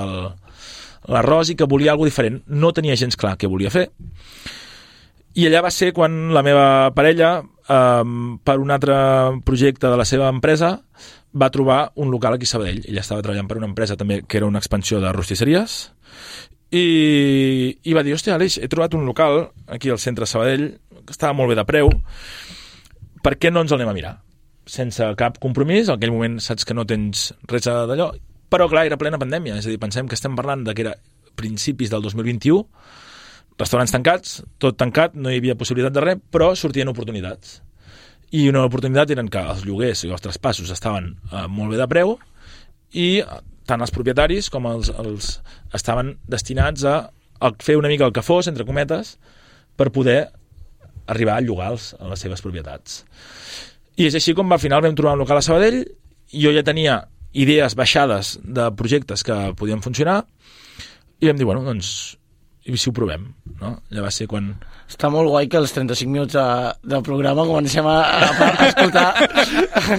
l'arròs i que volia alguna diferent. No tenia gens clar què volia fer. I allà va ser quan la meva parella, per un altre projecte de la seva empresa, va trobar un local aquí a Sabadell. Ella estava treballant per una empresa també que era una expansió de rostisseries i va dir, hòstia, Aleix, he trobat un local aquí al centre de Sabadell que estava molt bé de preu, per què no ens el anem a mirar? Sense cap compromís, en aquell moment saps que no tens res d'allò, però clar, era plena pandèmia, és a dir, pensem que estem parlant que era principis del 2021, restaurants tancats, tot tancat, no hi havia possibilitat de res, però sortien oportunitats. I una oportunitat eren que els lloguers i els traspassos estaven molt bé de preu i tant els propietaris com els estaven destinats a fer una mica el que fos, entre cometes, per poder arribar a llogar a les seves propietats. I és així com al final vam trobar un local a Sabadell, jo ja tenia idees baixades de projectes que podien funcionar i vam dir, bueno, doncs i si ho provem, no? Ja va ser quan... Està molt guai que als 35 minuts del programa comencem a escoltar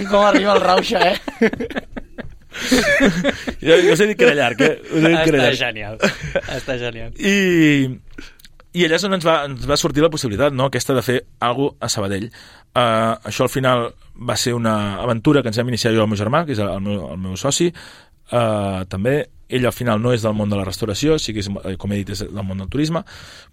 com arriba el Rauxa, Jo us he dit que era llarg, Està genial. Està genial. I allà és on ens va sortir la possibilitat, no?, aquesta de fer alguna cosa a Sabadell. Això al final va ser una aventura que ens vam iniciar jo i el meu germà, que és el meu soci, també. Ell al final no és del món de la restauració, sí que és, com he dit, és del món del turisme,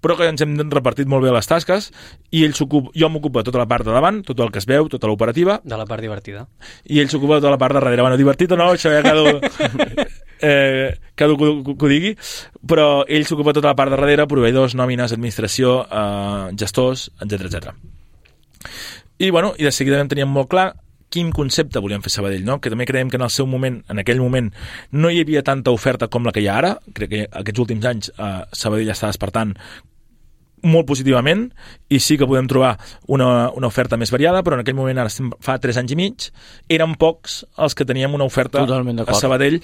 però que ens hem repartit molt bé les tasques i jo m'ocupo de tota la part de davant, tot el que es veu, tota l'operativa. De la part divertida. I ell s'ocupa de tota la part de darrere. Bueno, divertit o no, això ja cada que ho digui, però ell s'ocupa de tota la part de darrere, proveïdors, nòmines, administració, gestors, etc. I de seguida vam tenir molt clar quin concepte volíem fer a Sabadell, no? Que també creiem que en aquell moment, no hi havia tanta oferta com la que hi ha ara. Crec que aquests últims anys Sabadell està despertant molt positivament i sí que podem trobar una oferta més variada, però en aquell moment, fa 3 anys i mig, eren pocs els que teníem una oferta a Sabadell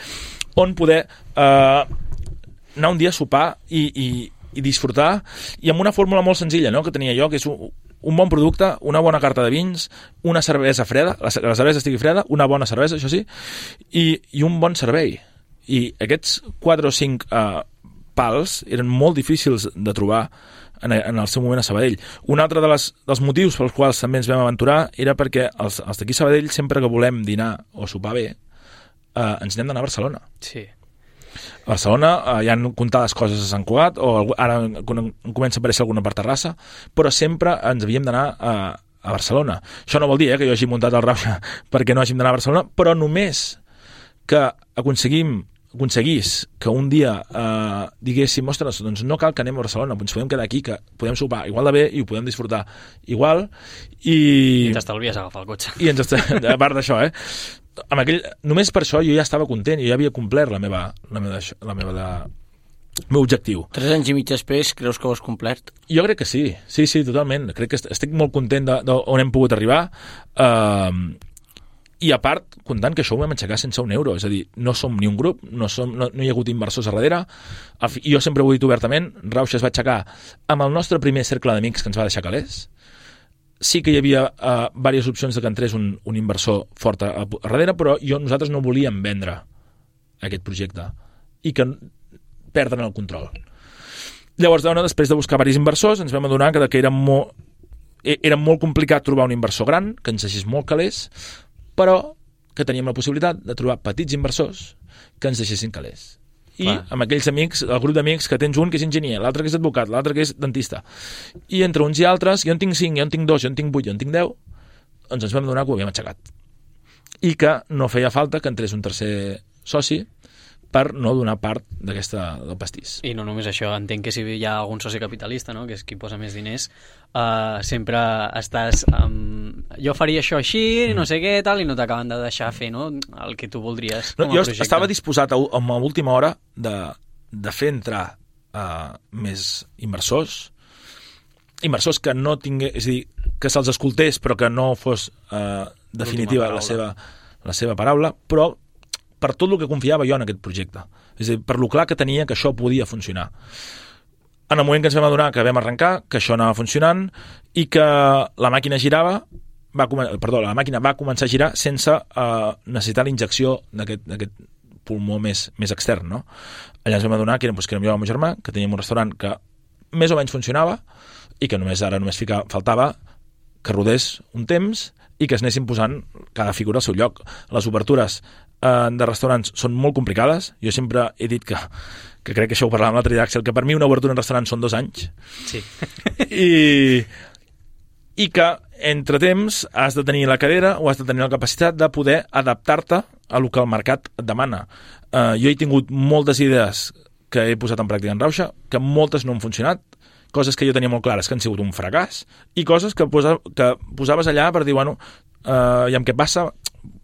on poder anar un dia a sopar i disfrutar, i amb una fórmula molt senzilla, no?, que tenia jo, que és un bon producte, una bona carta de vins, una cervesa freda, la cervesa estigui freda, una bona cervesa, això sí, i un bon servei. I aquests 4 o 5 pals eren molt difícils de trobar en el seu moment a Sabadell. Un altre dels motius pels quals també ens vam aventurar era perquè els d'aquí a Sabadell, sempre que volem dinar o sopar bé, ens n'hem d'anar a Barcelona. Sí. A Barcelona hi ha comptades coses a Sant Cugat, o ara comença a aparèixer alguna per Terrassa, però sempre ens havíem d'anar a Barcelona. Això no vol dir que jo hagi muntat el Rauxa perquè no hàgim d'anar a Barcelona, però només que aconseguís que un dia diguéssim, ostres, doncs no cal que anem a Barcelona, ens podem quedar aquí, que podem sopar igual de bé i ho podem disfrutar igual. I ens estalvies agafar el cotxe. I a part d'això, només per això jo ja estava content, jo ja havia complert el meu objectiu. 3 anys i mig després, creus que ho has complert? Jo crec que sí, totalment. Crec que estic molt content d'on hem pogut arribar, i a part, comptant que això ho vam aixecar sense un euro, és a dir, no som ni un grup, no hi ha hagut inversors a darrere. Jo sempre ho he dit obertament, Rauxa es va aixecar amb el nostre primer cercle d'amics que ens va deixar calés. Sí que hi havia diverses opcions de que entrés un inversor fort a darrere, però nosaltres no volíem vendre aquest projecte i que perdren el control. Llavors, després de buscar diversos inversors, ens vam adonar que era molt complicat trobar un inversor gran, que ens deixés molt calés, però que teníem la possibilitat de trobar petits inversors que ens deixessin calés. I amb aquells amics, el grup d'amics, que tens un que és enginyer, l'altre que és advocat, l'altre que és dentista, i entre uns i altres, jo en tinc 5, jo en tinc 2, jo en tinc 8, jo en tinc 10, doncs ens vam adonar que ho havíem aixecat. i que no feia falta que entrés un tercer soci per no donar part del pastís. I no només això, entenc que si hi ha algun soci capitalista, no?, que és qui posa més diners, sempre estàs jo faria això així, no sé què, tal, i no t'acaben de deixar fer, no?, el que tu voldries com a projecte. Jo estava disposat a l'última hora de fer entrar més inversors que no tingués, és a dir, que se'ls escoltés però que no fos definitiva la seva paraula, però per tot el que confiava jo en aquest projecte. És a dir, per lo clar que tenia que això podia funcionar. En el moment que ens vam adonar que vam arrencar, que això anava funcionant i que la màquina girava, la màquina va començar a girar sense necessitar la injecció d'aquest pulmó més extern, no? Allà ens vam adonar que érem jo i el meu germà, que teníem un restaurant que més o menys funcionava i que només faltava que rodés un temps i que es anessin posant cada figura al seu lloc. Les obertures de restaurants són molt complicades. Jo sempre he dit que crec que això ho parlàvem l'altre dia, Axel, que per mi una obertura en restaurant són 2 anys. Sí. I que entre temps has de tenir la cadera o has de tenir la capacitat de poder adaptar-te a lo que el mercat et demana. Jo he tingut moltes idees que he posat en pràctica en Rauxa, que moltes no han funcionat, coses que jo tenia molt clares que han sigut un fracàs, i coses que posaves allà per dir, bueno, i amb què passa,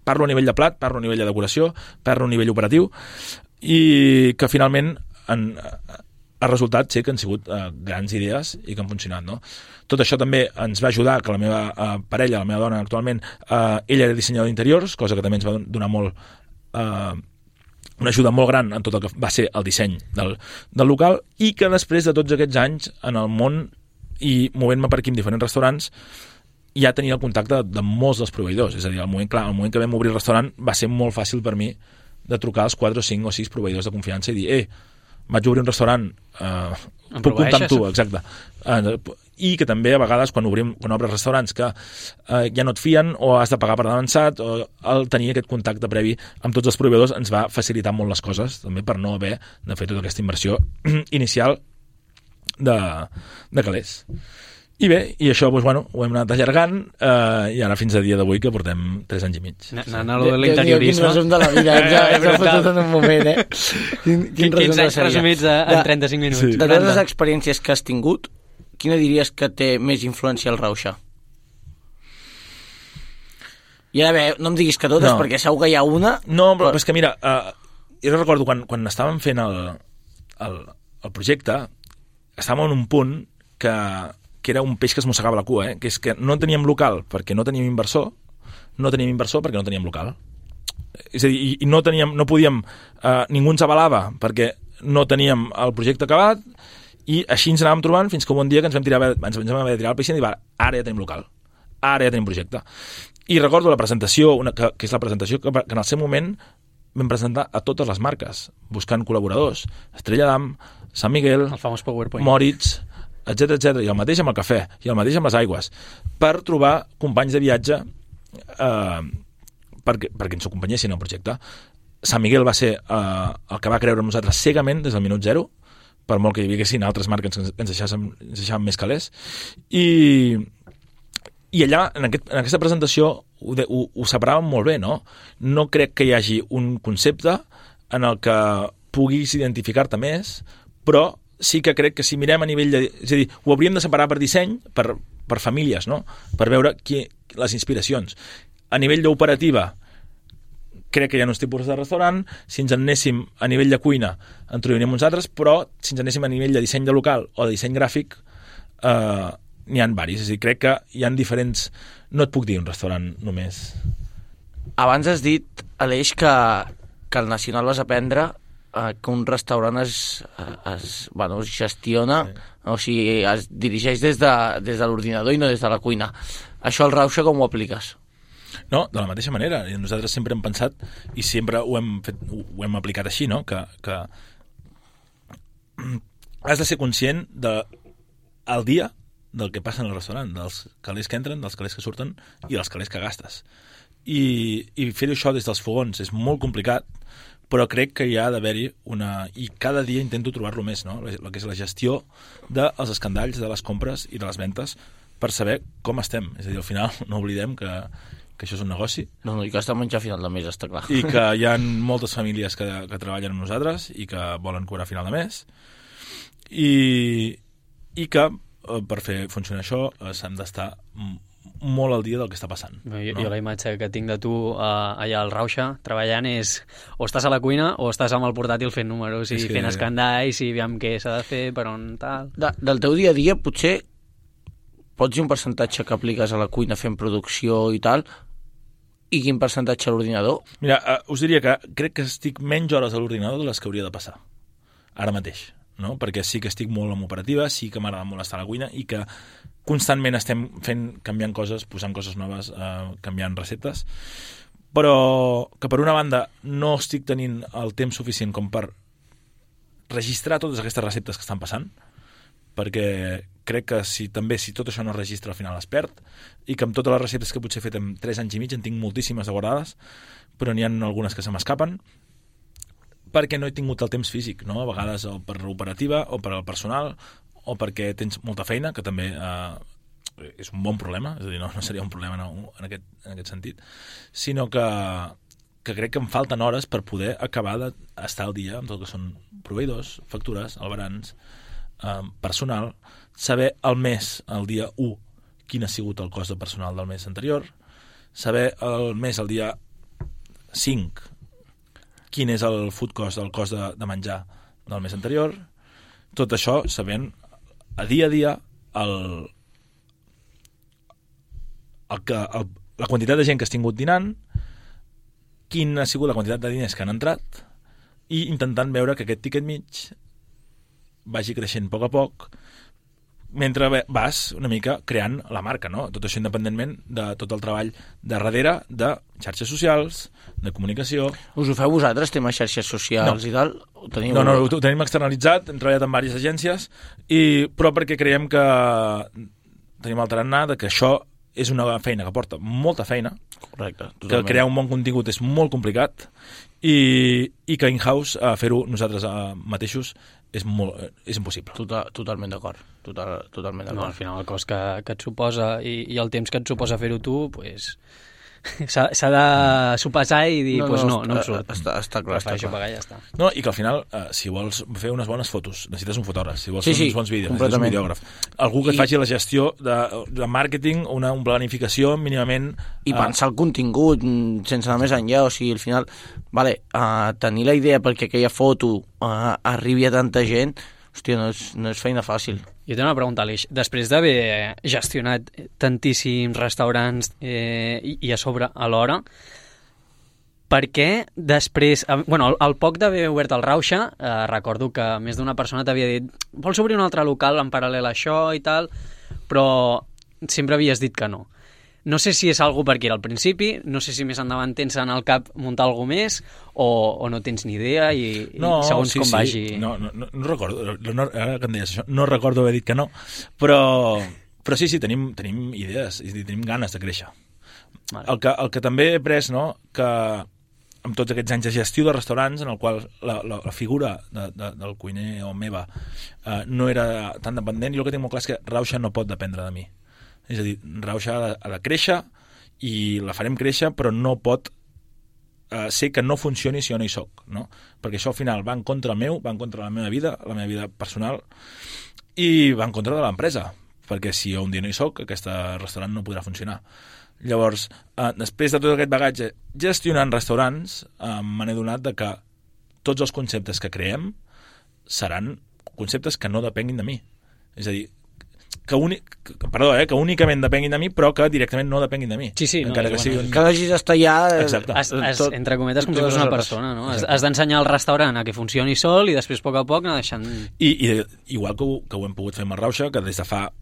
parlo a nivell de plat, parlo a nivell de decoració, parlo a nivell operatiu, i que finalment ha resultat que han sigut grans idees i que han funcionat, no? Tot això també ens va ajudar que la meva parella, la meva dona actualment, ella era dissenyador d'interiors, cosa que també ens va donar una ajuda molt gran en tot el que va ser el disseny del local, i que després de tots aquests anys en el món i movent-me per aquí en diferents restaurants ja tenia el contacte de molts dels proveïdors. És a dir, al moment que vam obrir el restaurant va ser molt fàcil per mi de trucar als 4 o 5 o 6 proveïdors de confiança i dir, vaig obrir un restaurant, puc comptar amb tu, exacte. I que també a vegades quan obres restaurants que ja no et fien o has de pagar per avançat, o el tenir aquest contacte previ amb tots els proveïdors ens va facilitar molt les coses, també per no haver de fer tota aquesta inversió inicial de calés. I bé, i això ho hem anat allargant i ara fins a dia d'avui que portem 3 anys i mig. Anant a l'interiorisme. Quin resum de la vida, ens ha fotut en un moment, Quins anys resumits en 35 minuts. Sí. De totes les experiències que has tingut, quina diries que té més influència al Rauxa? I ara bé, no em diguis que totes, perquè segur que hi ha una... No, però és que mira, jo recordo quan estàvem fent el projecte, estàvem en un punt que era un peix que es mossegava la cua, que és que no teníem local perquè no teníem inversor, perquè no teníem local. És a dir, i no podíem, ningú ens avalava perquè no teníem el projecte acabat, i així ens anàvem trobant fins que un bon dia que ens vam haver de tirar el peix i dir, ara ja tenim local, ara ja tenim projecte. I recordo la presentació, que és la presentació que en el seu moment vam presentar a totes les marques, buscant col·laboradors, Estrella d'Am, Sant Miguel, el famós PowerPoint, Moritz, etc, i el mateix amb el cafè, i el mateix amb les aigües, per trobar companys de viatge perquè ens acompanyessin al projecte. Sant Miguel va ser el que va creure en nosaltres cegament des del minut 0, per molt que hi haguessin altres marques que ens deixaven més calés, i allà, en aquesta presentació, ho separàvem molt bé, no? No crec que hi hagi un concepte en el que puguis identificar-te més, però sí que crec que si mirem a nivell és a dir, ho hauríem de separar per disseny, per famílies, no? Per veure les inspiracions. A nivell d'operativa, crec que hi ha uns tipus de restaurant. Si ens anéssim a nivell de cuina, en trobaríem uns altres, però si ens anéssim a nivell de disseny de local o de disseny gràfic, n'hi ha varis. És a dir, crec que hi ha diferents... No et puc dir un restaurant només. Abans has dit, Aleix, que el Nacional vas aprendre que un restaurant es gestiona, o sigui, es dirigeix des de l'ordinador i no des de la cuina. Això al Rauxa com ho apliques? No, de la mateixa manera. Nosaltres sempre hem pensat i sempre ho hem aplicat així, no? Que has de ser conscient al dia del que passa en el restaurant, dels calés que entren, dels calés que surten i dels calés que gastes. I fer això des dels fogons és molt complicat, però crec que hi ha d'haver-hi i cada dia intento trobar-lo més, no? El que és la gestió dels escandalls, de les compres i de les ventes, per saber com estem. És a dir, al final no oblidem que que això és un negoci. No, i que has de menjar a final de mes, està clar. I que hi ha moltes famílies que treballen amb nosaltres i que volen cobrar a final de mes. I que per fer funcionar això s'han d'estar molt al dia del que està passant. Jo la imatge que tinc de tu allà al Rauxa treballant és o estàs a la cuina o estàs amb el portàtil fent números i fent escandalls i aviam què s'ha de fer, per on tal... Del teu dia a dia potser pots dir un percentatge que apliques a la cuina fent producció i tal, i quin percentatge a l'ordinador? Mira, us diria que crec que estic menys hores a l'ordinador de les que hauria de passar ara mateix, no? Perquè sí que estic molt en operativa, sí que m'agrada molt estar a la cuina i que constantment estem canviant coses, posant coses noves, canviant receptes, però que per una banda no estic tenint el temps suficient com per registrar totes aquestes receptes que estan passant, perquè crec que si tot això no es registra al final es perd, i que amb totes les receptes que potser he fet en 3 anys i mig en tinc moltíssimes de guardades, però n'hi ha algunes que se m'escapen, perquè no he tingut el temps físic, no? A vegades o per l'operativa o per al personal o perquè tens molta feina, que també és un bon problema, és a dir, no seria un problema en aquest sentit, sinó que crec que em falten hores per poder acabar d'estar al dia amb tot el que són proveïdors, factures, albarans, personal, saber el mes, el dia 1, quin ha sigut el cost de personal del mes anterior, saber el mes, el dia 5, quin és el food cost, el cost de menjar del mes anterior, tot això sabent a dia la quantitat de gent que has tingut dinant, quina ha sigut la quantitat de diners que han entrat, i intentant veure que aquest tiquet mig vagi creixent a poc mentre vas una mica creant la marca, no? Tot això independentment de tot el treball de darrere de xarxes socials, de comunicació. Us ho feu vosaltres, tema xarxes socials i tal? No, ho tenim externalitzat, hem treballat amb diverses agències, però perquè creiem que tenim el tarannà de que això és una feina que porta molta feina. Correcte, totalment. Que crear un bon contingut és molt complicat i que in-house fer-ho nosaltres mateixos és impossible. Totalment d'acord. Totalment d'acord. No, al final el cost que et suposa i el temps que et suposa fer-ho tu, pues, s'ha de sopesar i dir, no em surt. Està clar. Pagar, ja està. No, i que al final, si vols fer unes bones fotos, necessites un fotògraf. Si vols fer uns bons vídeos, necessites un videògraf. Algú que et faci la gestió de màrqueting, una planificació mínimament... I pensar el contingut sense anar més enllà. O sigui, al final, tenir la idea perquè aquella foto arribi a tanta gent, hòstia, no és feina fàcil. Jo tinc una pregunta, Aleix. Després d'haver gestionat tantíssims restaurants i a sobre alhora, per què després... al poc d'haver obert el Rauxa, recordo que més d'una persona t'havia dit vols obrir un altre local en paral·lel a això i tal, però sempre havies dit que no. No sé si és algú perquè era al principi, no sé si més endavant tens en el cap muntar alguna més o no tens ni idea i segons com vagi... No recordo, ara que em deies això, no recordo haver dit que no, però sí, tenim idees i tenim ganes de créixer. Vale. El que també he pres, no?, que amb tots aquests anys de gestió de restaurants en el qual la figura del cuiner o meva no era tan dependent, jo el que tinc molt clar és que Rauxa no pot dependre de mi. És a dir, Rauxa ha de créixer i la farem créixer, però no pot ser que no funcioni si jo no hi soc, no? Perquè això al final va en contra meu, va en contra de la meva vida personal, i va en contra de l'empresa, perquè si jo un dia no hi soc, aquest restaurant no podrà funcionar. Llavors, després de tot aquest bagatge gestionant restaurants, me n'he donat de que tots els conceptes que creem seran conceptes que no depenguin de mi. És a dir, que únicament depenguin de mi, però que directament no depenguin de mi. Sí, encara que hagis d'estar allà... Exacte. Entre cometes, com si fos una persona, no? Has d'ensenyar el restaurant a que funcioni sol i després, a poc a poc, anar deixant... I igual que ho hem pogut fer amb el Rauxa, que des de fa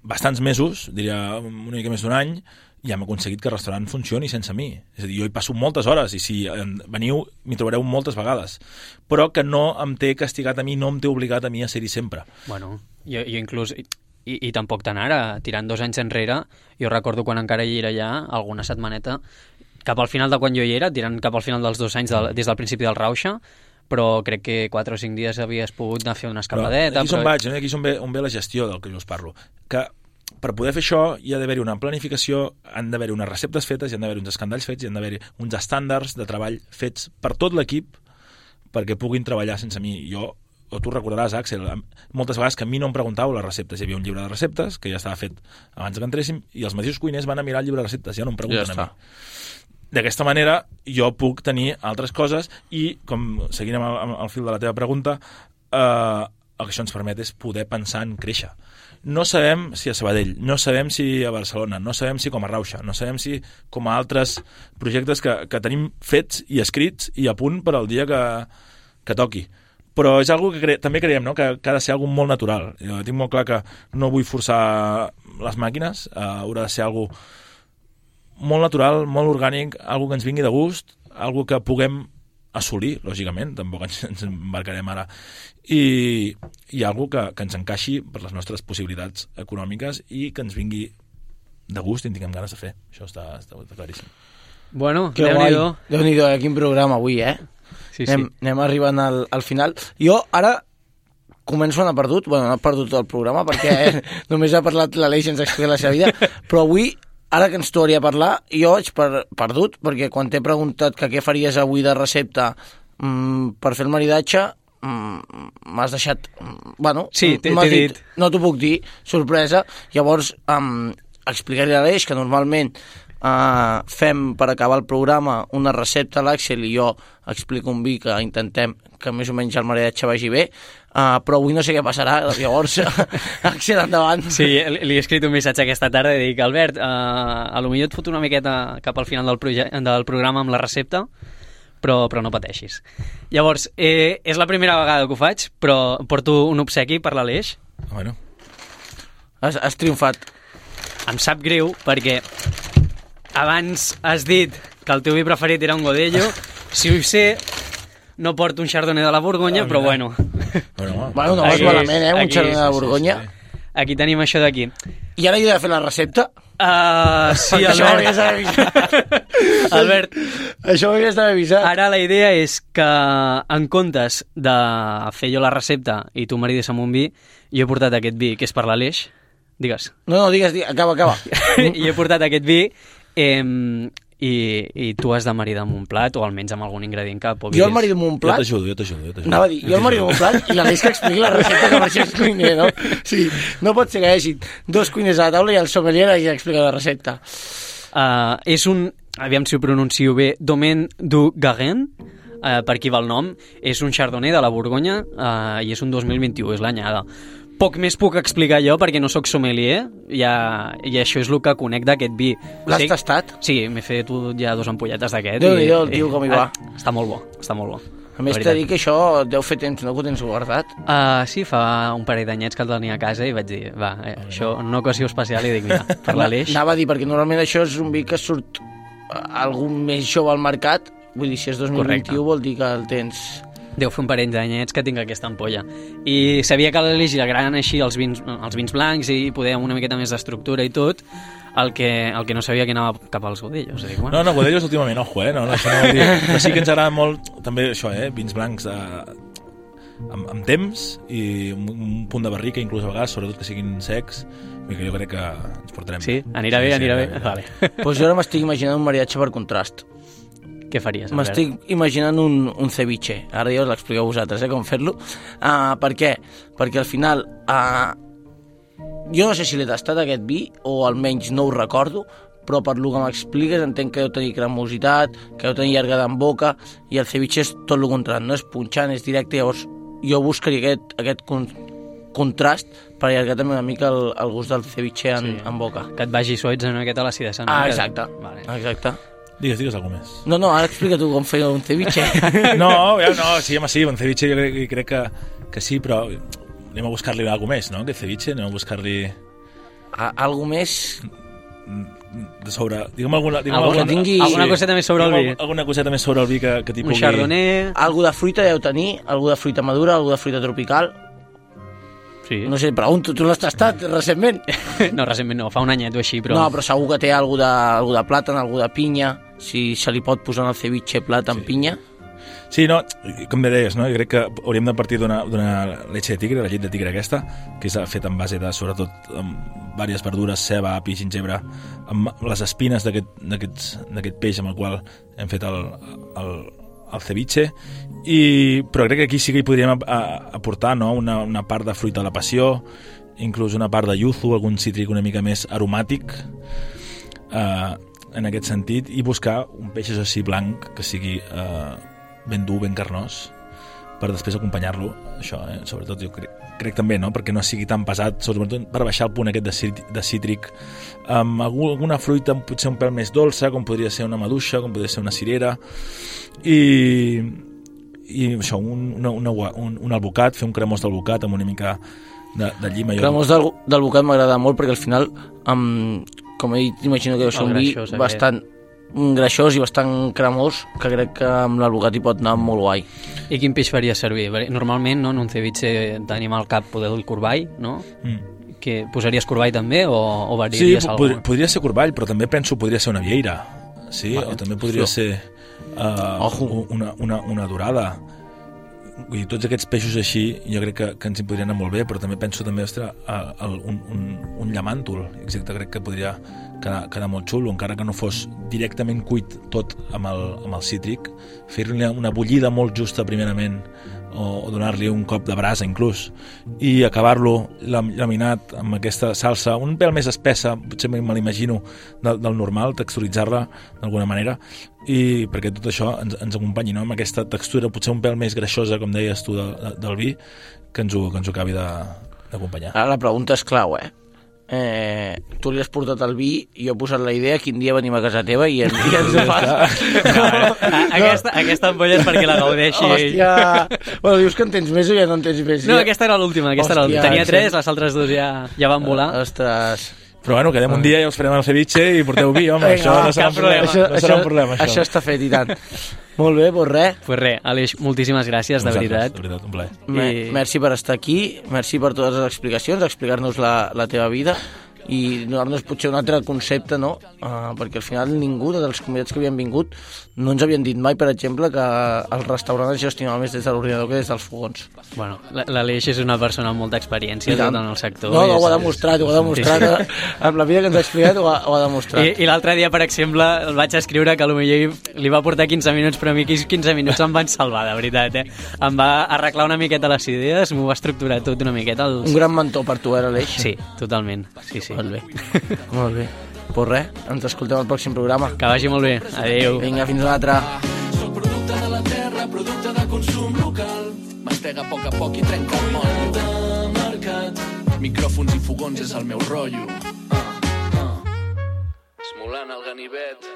bastants mesos, diria una mica més d'un any, ja hem aconseguit que el restaurant funcioni sense mi. És a dir, jo hi passo moltes hores i si veniu m'hi trobareu moltes vegades, però que no em té castigat a mi, no em té obligat a mi a ser-hi sempre. Bueno, jo inclús, i tampoc tant ara, tirant 2 anys enrere, jo recordo quan encara hi era allà, alguna setmaneta, cap al final de quan jo hi era, tirant cap al final dels 2 anys des del principi del Rauxa, però crec que 4 o 5 dies havies pogut anar a fer una escapadeta. Aquí és on ve la gestió del que jo us parlo. Que per poder fer això hi ha d'haver-hi una planificació, han d'haver-hi unes receptes fetes, hi han d'haver uns escandalls fets, hi han d'haver-hi uns estàndards de treball fets per tot l'equip perquè puguin treballar sense mi. O tu recordaràs, Àxel, moltes vegades que a mi no em preguntàveu les receptes. Hi havia un llibre de receptes que ja estava fet abans que entréssim i els mateixos cuiners van a mirar el llibre de receptes, ja no em pregunten a mi. D'aquesta manera jo puc tenir altres coses i, com seguint amb el fil de la teva pregunta, el que això ens permet és poder pensar en créixer. No sabem si a Sabadell, no sabem si a Barcelona, no sabem si com a Rauxa, no sabem si com a altres projectes que tenim fets i escrits i a punt per al dia que toqui. Però és algo que també creiem, no? Que ha de ser algo molt natural. Jo tinc molt clar que no vull forçar les màquines, haurà de ser algo molt natural, molt orgànic, algo que ens vingui de gust, algo que puguem assolir, lògicament, tampoc ens embarcarem ara, i algo que ens encaixi per les nostres possibilitats econòmiques i que ens vingui de gust i en tinguem ganes de fer. Això està claríssim. Bueno, Déu-n'hi-do. Déu-n'hi-do, quin programa avui, Sí. Anem arribant al final. Jo ara començo a anar perdut, no he perdut tot el programa perquè només ha parlat l'Aleix i ens ha explicat la seva vida, però avui, ara que ens tornaria a parlar, jo vaig perdut, perquè quan t'he preguntat que què faries avui de recepta per fer el maridatge, m'has deixat... Sí, t'he dit. No t'ho puc dir, sorpresa. Llavors, explicaré a l'Aleix que normalment fem per acabar el programa una recepta a l'Àxel i jo explico un vi que intentem que més o menys el maridatge vagi bé, però avui no sé què passarà, llavors Àxel, endavant. Sí, li he escrit un missatge aquesta tarda i dic, Albert, a lo millor et foto una miqueta cap al final del programa amb la recepta, però no pateixis. Llavors, és la primera vegada que ho faig, però porto un obsequi per l'Aleix. Bueno. Has triomfat. Em sap greu perquè abans has dit que el teu vi preferit era un Godello. Si ho sé, no porto un Chardonnay de la Borgonya, però bueno. No vas malament, un Chardonnay de la Borgonya. Aquí tenim això d'aquí. I ara he de fer la recepta? Sí, Albert. Això ho havies d'haver avisat. Ara la idea és que, en comptes de fer jo la recepta i tu marides amb un vi, jo he portat aquest vi, que és per l'Aleix. Digues. No, digues, acaba. I he portat aquest vi i tu has de maridar amb un plat o almenys amb algun ingredient que puguis... Jo el marido amb un plat... Jo t'ajudo. Anava a dir, jo el marido amb un plat i l'Aleix que expliqui la recepta que per això és cuiner, no? Sí, no pot ser que hi hagi dos cuiners a la taula i el sommelier hagi d'explicar la recepta. És un, aviam si ho pronuncio bé, Domaine du Garenne, per aquí va el nom, és un Chardonnay de la Borgonya i és un 2021, és l'anyada. Poc més puc explicar jo perquè no sóc sommelier i això és el que conec d'aquest vi. L'has tastat? Sí, m'he fet ja 2 ampolletes d'aquest. Déu-n'hi-do, el tio com hi va. Està molt bo. A més t'he dit que això deu fer temps, no que ho tens guardat? Sí, fa un parell d'anyets que el tenia a casa i vaig dir, això, una ocasió especial, i dic, mira, per l'Aleix. Anava a dir, perquè normalment això és un vi que surt algun més jove al mercat, vull dir, si és 2021 correcte. Vol dir que el tens... Deu fer un parell d'anyets que tinc aquesta ampolla. I sabia que a l'Aleix li agraden així els vins blancs i poder amb una miqueta més d'estructura i tot, el que no sabia que anava cap als Godellos. Bueno. No, Godellos últimament, ojo, no, això no vol dir... Però sí que ens agrada molt, també això, vins blancs amb temps i un punt de barrica, inclús a vegades, sobretot que siguin secs, que jo crec que ens portarem. Sí? Anirà bé. Vale. Pues jo ara m'estic imaginant un maridatge per contrast. Què faries? M'estic imaginant un ceviche. Ara ja us l'expliqueu vosaltres, com fer-lo. Per què? Perquè al final... jo no sé si l'he tastat aquest vi, o almenys no ho recordo, però per lo que m'expliques entenc que deu tenir cremositat, que deu tenir llargada en boca, i el ceviche és tot el contrari, no és punxant, és directe. Llavors jo buscaria aquest contrast per allargar també una mica el gust del ceviche en boca. Que et vagi suaits una miqueta l'acidesa. Exacte. Vale. Exacte. Digues alguna més. No, ara explica tu com fer un ceviche. No, sí, un ceviche jo crec que sí, però anem a buscar-li alguna més, no? Que ceviche, anem a buscar-li... Algo més... De sobre... Digue'm alguna coseta més sobre el vi. Alguna coseta més sobre el vi que t'hi pugui... Un chardonnay... Algo de fruita deu tenir, algo de fruita madura, algo de fruita tropical... Sí. No sé, pregunto, tu l'has tastat recentment? No, recentment no, fa un anyet o així, però... No, però segur que té algo de plàtan, algo de pinya, si se li pot posar en el ceviche plàtan, pinya. Sí, no, com deies, no? Jo crec que hauríem de partir d'una leche de tigre, la llet de tigre aquesta, que és feta en base de, sobretot, amb diverses verdures, ceba, api, gingebre, amb les espines d'aquest peix amb el qual hem fet el ceviche, però crec que aquí sí que hi podríem aportar, no? una part de fruita de la passió, inclús una part de yuzu, algun cítric una mica més aromàtic, en aquest sentit, i buscar un peix així blanc que sigui ben dur, ben carnós, per després acompanyar-lo, això, sobretot jo crec també, no? Perquè no sigui tan pesat, sobretot per baixar el punt aquest de cítric, amb alguna fruita potser un pèl més dolça, com podria ser una maduixa, com podria ser una cirera, i això, un albocat, fer un cremós d'albocat amb una mica de llima. Cremós d'albocat m'agrada molt perquè al final, com he dit, imagino que deu ser un vi bastant greixós i bastant cremós, que crec que amb l'albocat hi pot anar molt guai. I quin peix faria servir? Normalment, no, en un ceviche tenim al cap poder el corball, no? Que posaries corball també o variaries alguna? Sí, podria ser corball, però també penso podria ser una vieira, sí? O també podria ser una dorada. Vull dir, tots aquests peixos així jo crec que ens hi podrien anar molt bé, però també penso també, ostres, un llamàntol, exacte, crec que podria quedar molt xulo, encara que no fos directament cuit tot amb el cítric, fer-li una bullida molt justa primerament, o donar-li un cop de brasa inclús, i acabar-lo laminat amb aquesta salsa un pèl més espessa, potser me l'imagino del normal, texturitzar-la d'alguna manera, i perquè tot això ens acompanyi, no? Amb aquesta textura potser un pèl més greixosa, com deies tu, del vi, que ens ho acabi d'acompanyar. Ara la pregunta és clau, tu li has portat el vi i jo he posat la idea, quin dia venim a casa teva i ens ho fas. Aquesta ampolla és perquè la gaudeixi. Hòstia, bueno, dius que en tens més o ja no en tens més? No, aquesta era l'última, tenia 3, les altres 2 ja van volar. Ostres. Però bueno, quedem un dia i us farem el ceviche i porteu vi, home, això no serà un problema. Això està fet, i tant. Molt bé, doncs res. Pues res, Aleix, moltíssimes gràcies, de veritat. De veritat, un plaer. Merci per estar aquí, merci per totes les explicacions, explicar-nos la teva vida i donar-nos potser un altre concepte, no? Perquè al final ningú dels convidats que havien vingut no ens havien dit mai, per exemple, que el restaurant es gestionava més des de l'ordinador que des dels fogons. Bueno, l'Aleix és una persona amb molta experiència en el sector. No, ho ha demostrat, amb la vida que ens ha explicat ho ha demostrat. I l'altre dia, per exemple, el vaig escriure que potser li va portar 15 minuts, però a mi aquells 15 minuts em van salvar, de veritat, Em va arreglar una miqueta les idees, m'ho va estructurar tot una miqueta. Un gran mentor per tu, l'Aleix. Sí, totalment, sí. Molt bé. Molt bé. Pues res, ens escoltem al pròxim programa. Que vagi molt bé. Adéu. Vinga, fins una altra. Soc producte de la terra, producte de consum local. Mastega a poc i trenca el motllo. De mercat, micròfons i fogons és el meu rotllo. Esmolant el ganivet.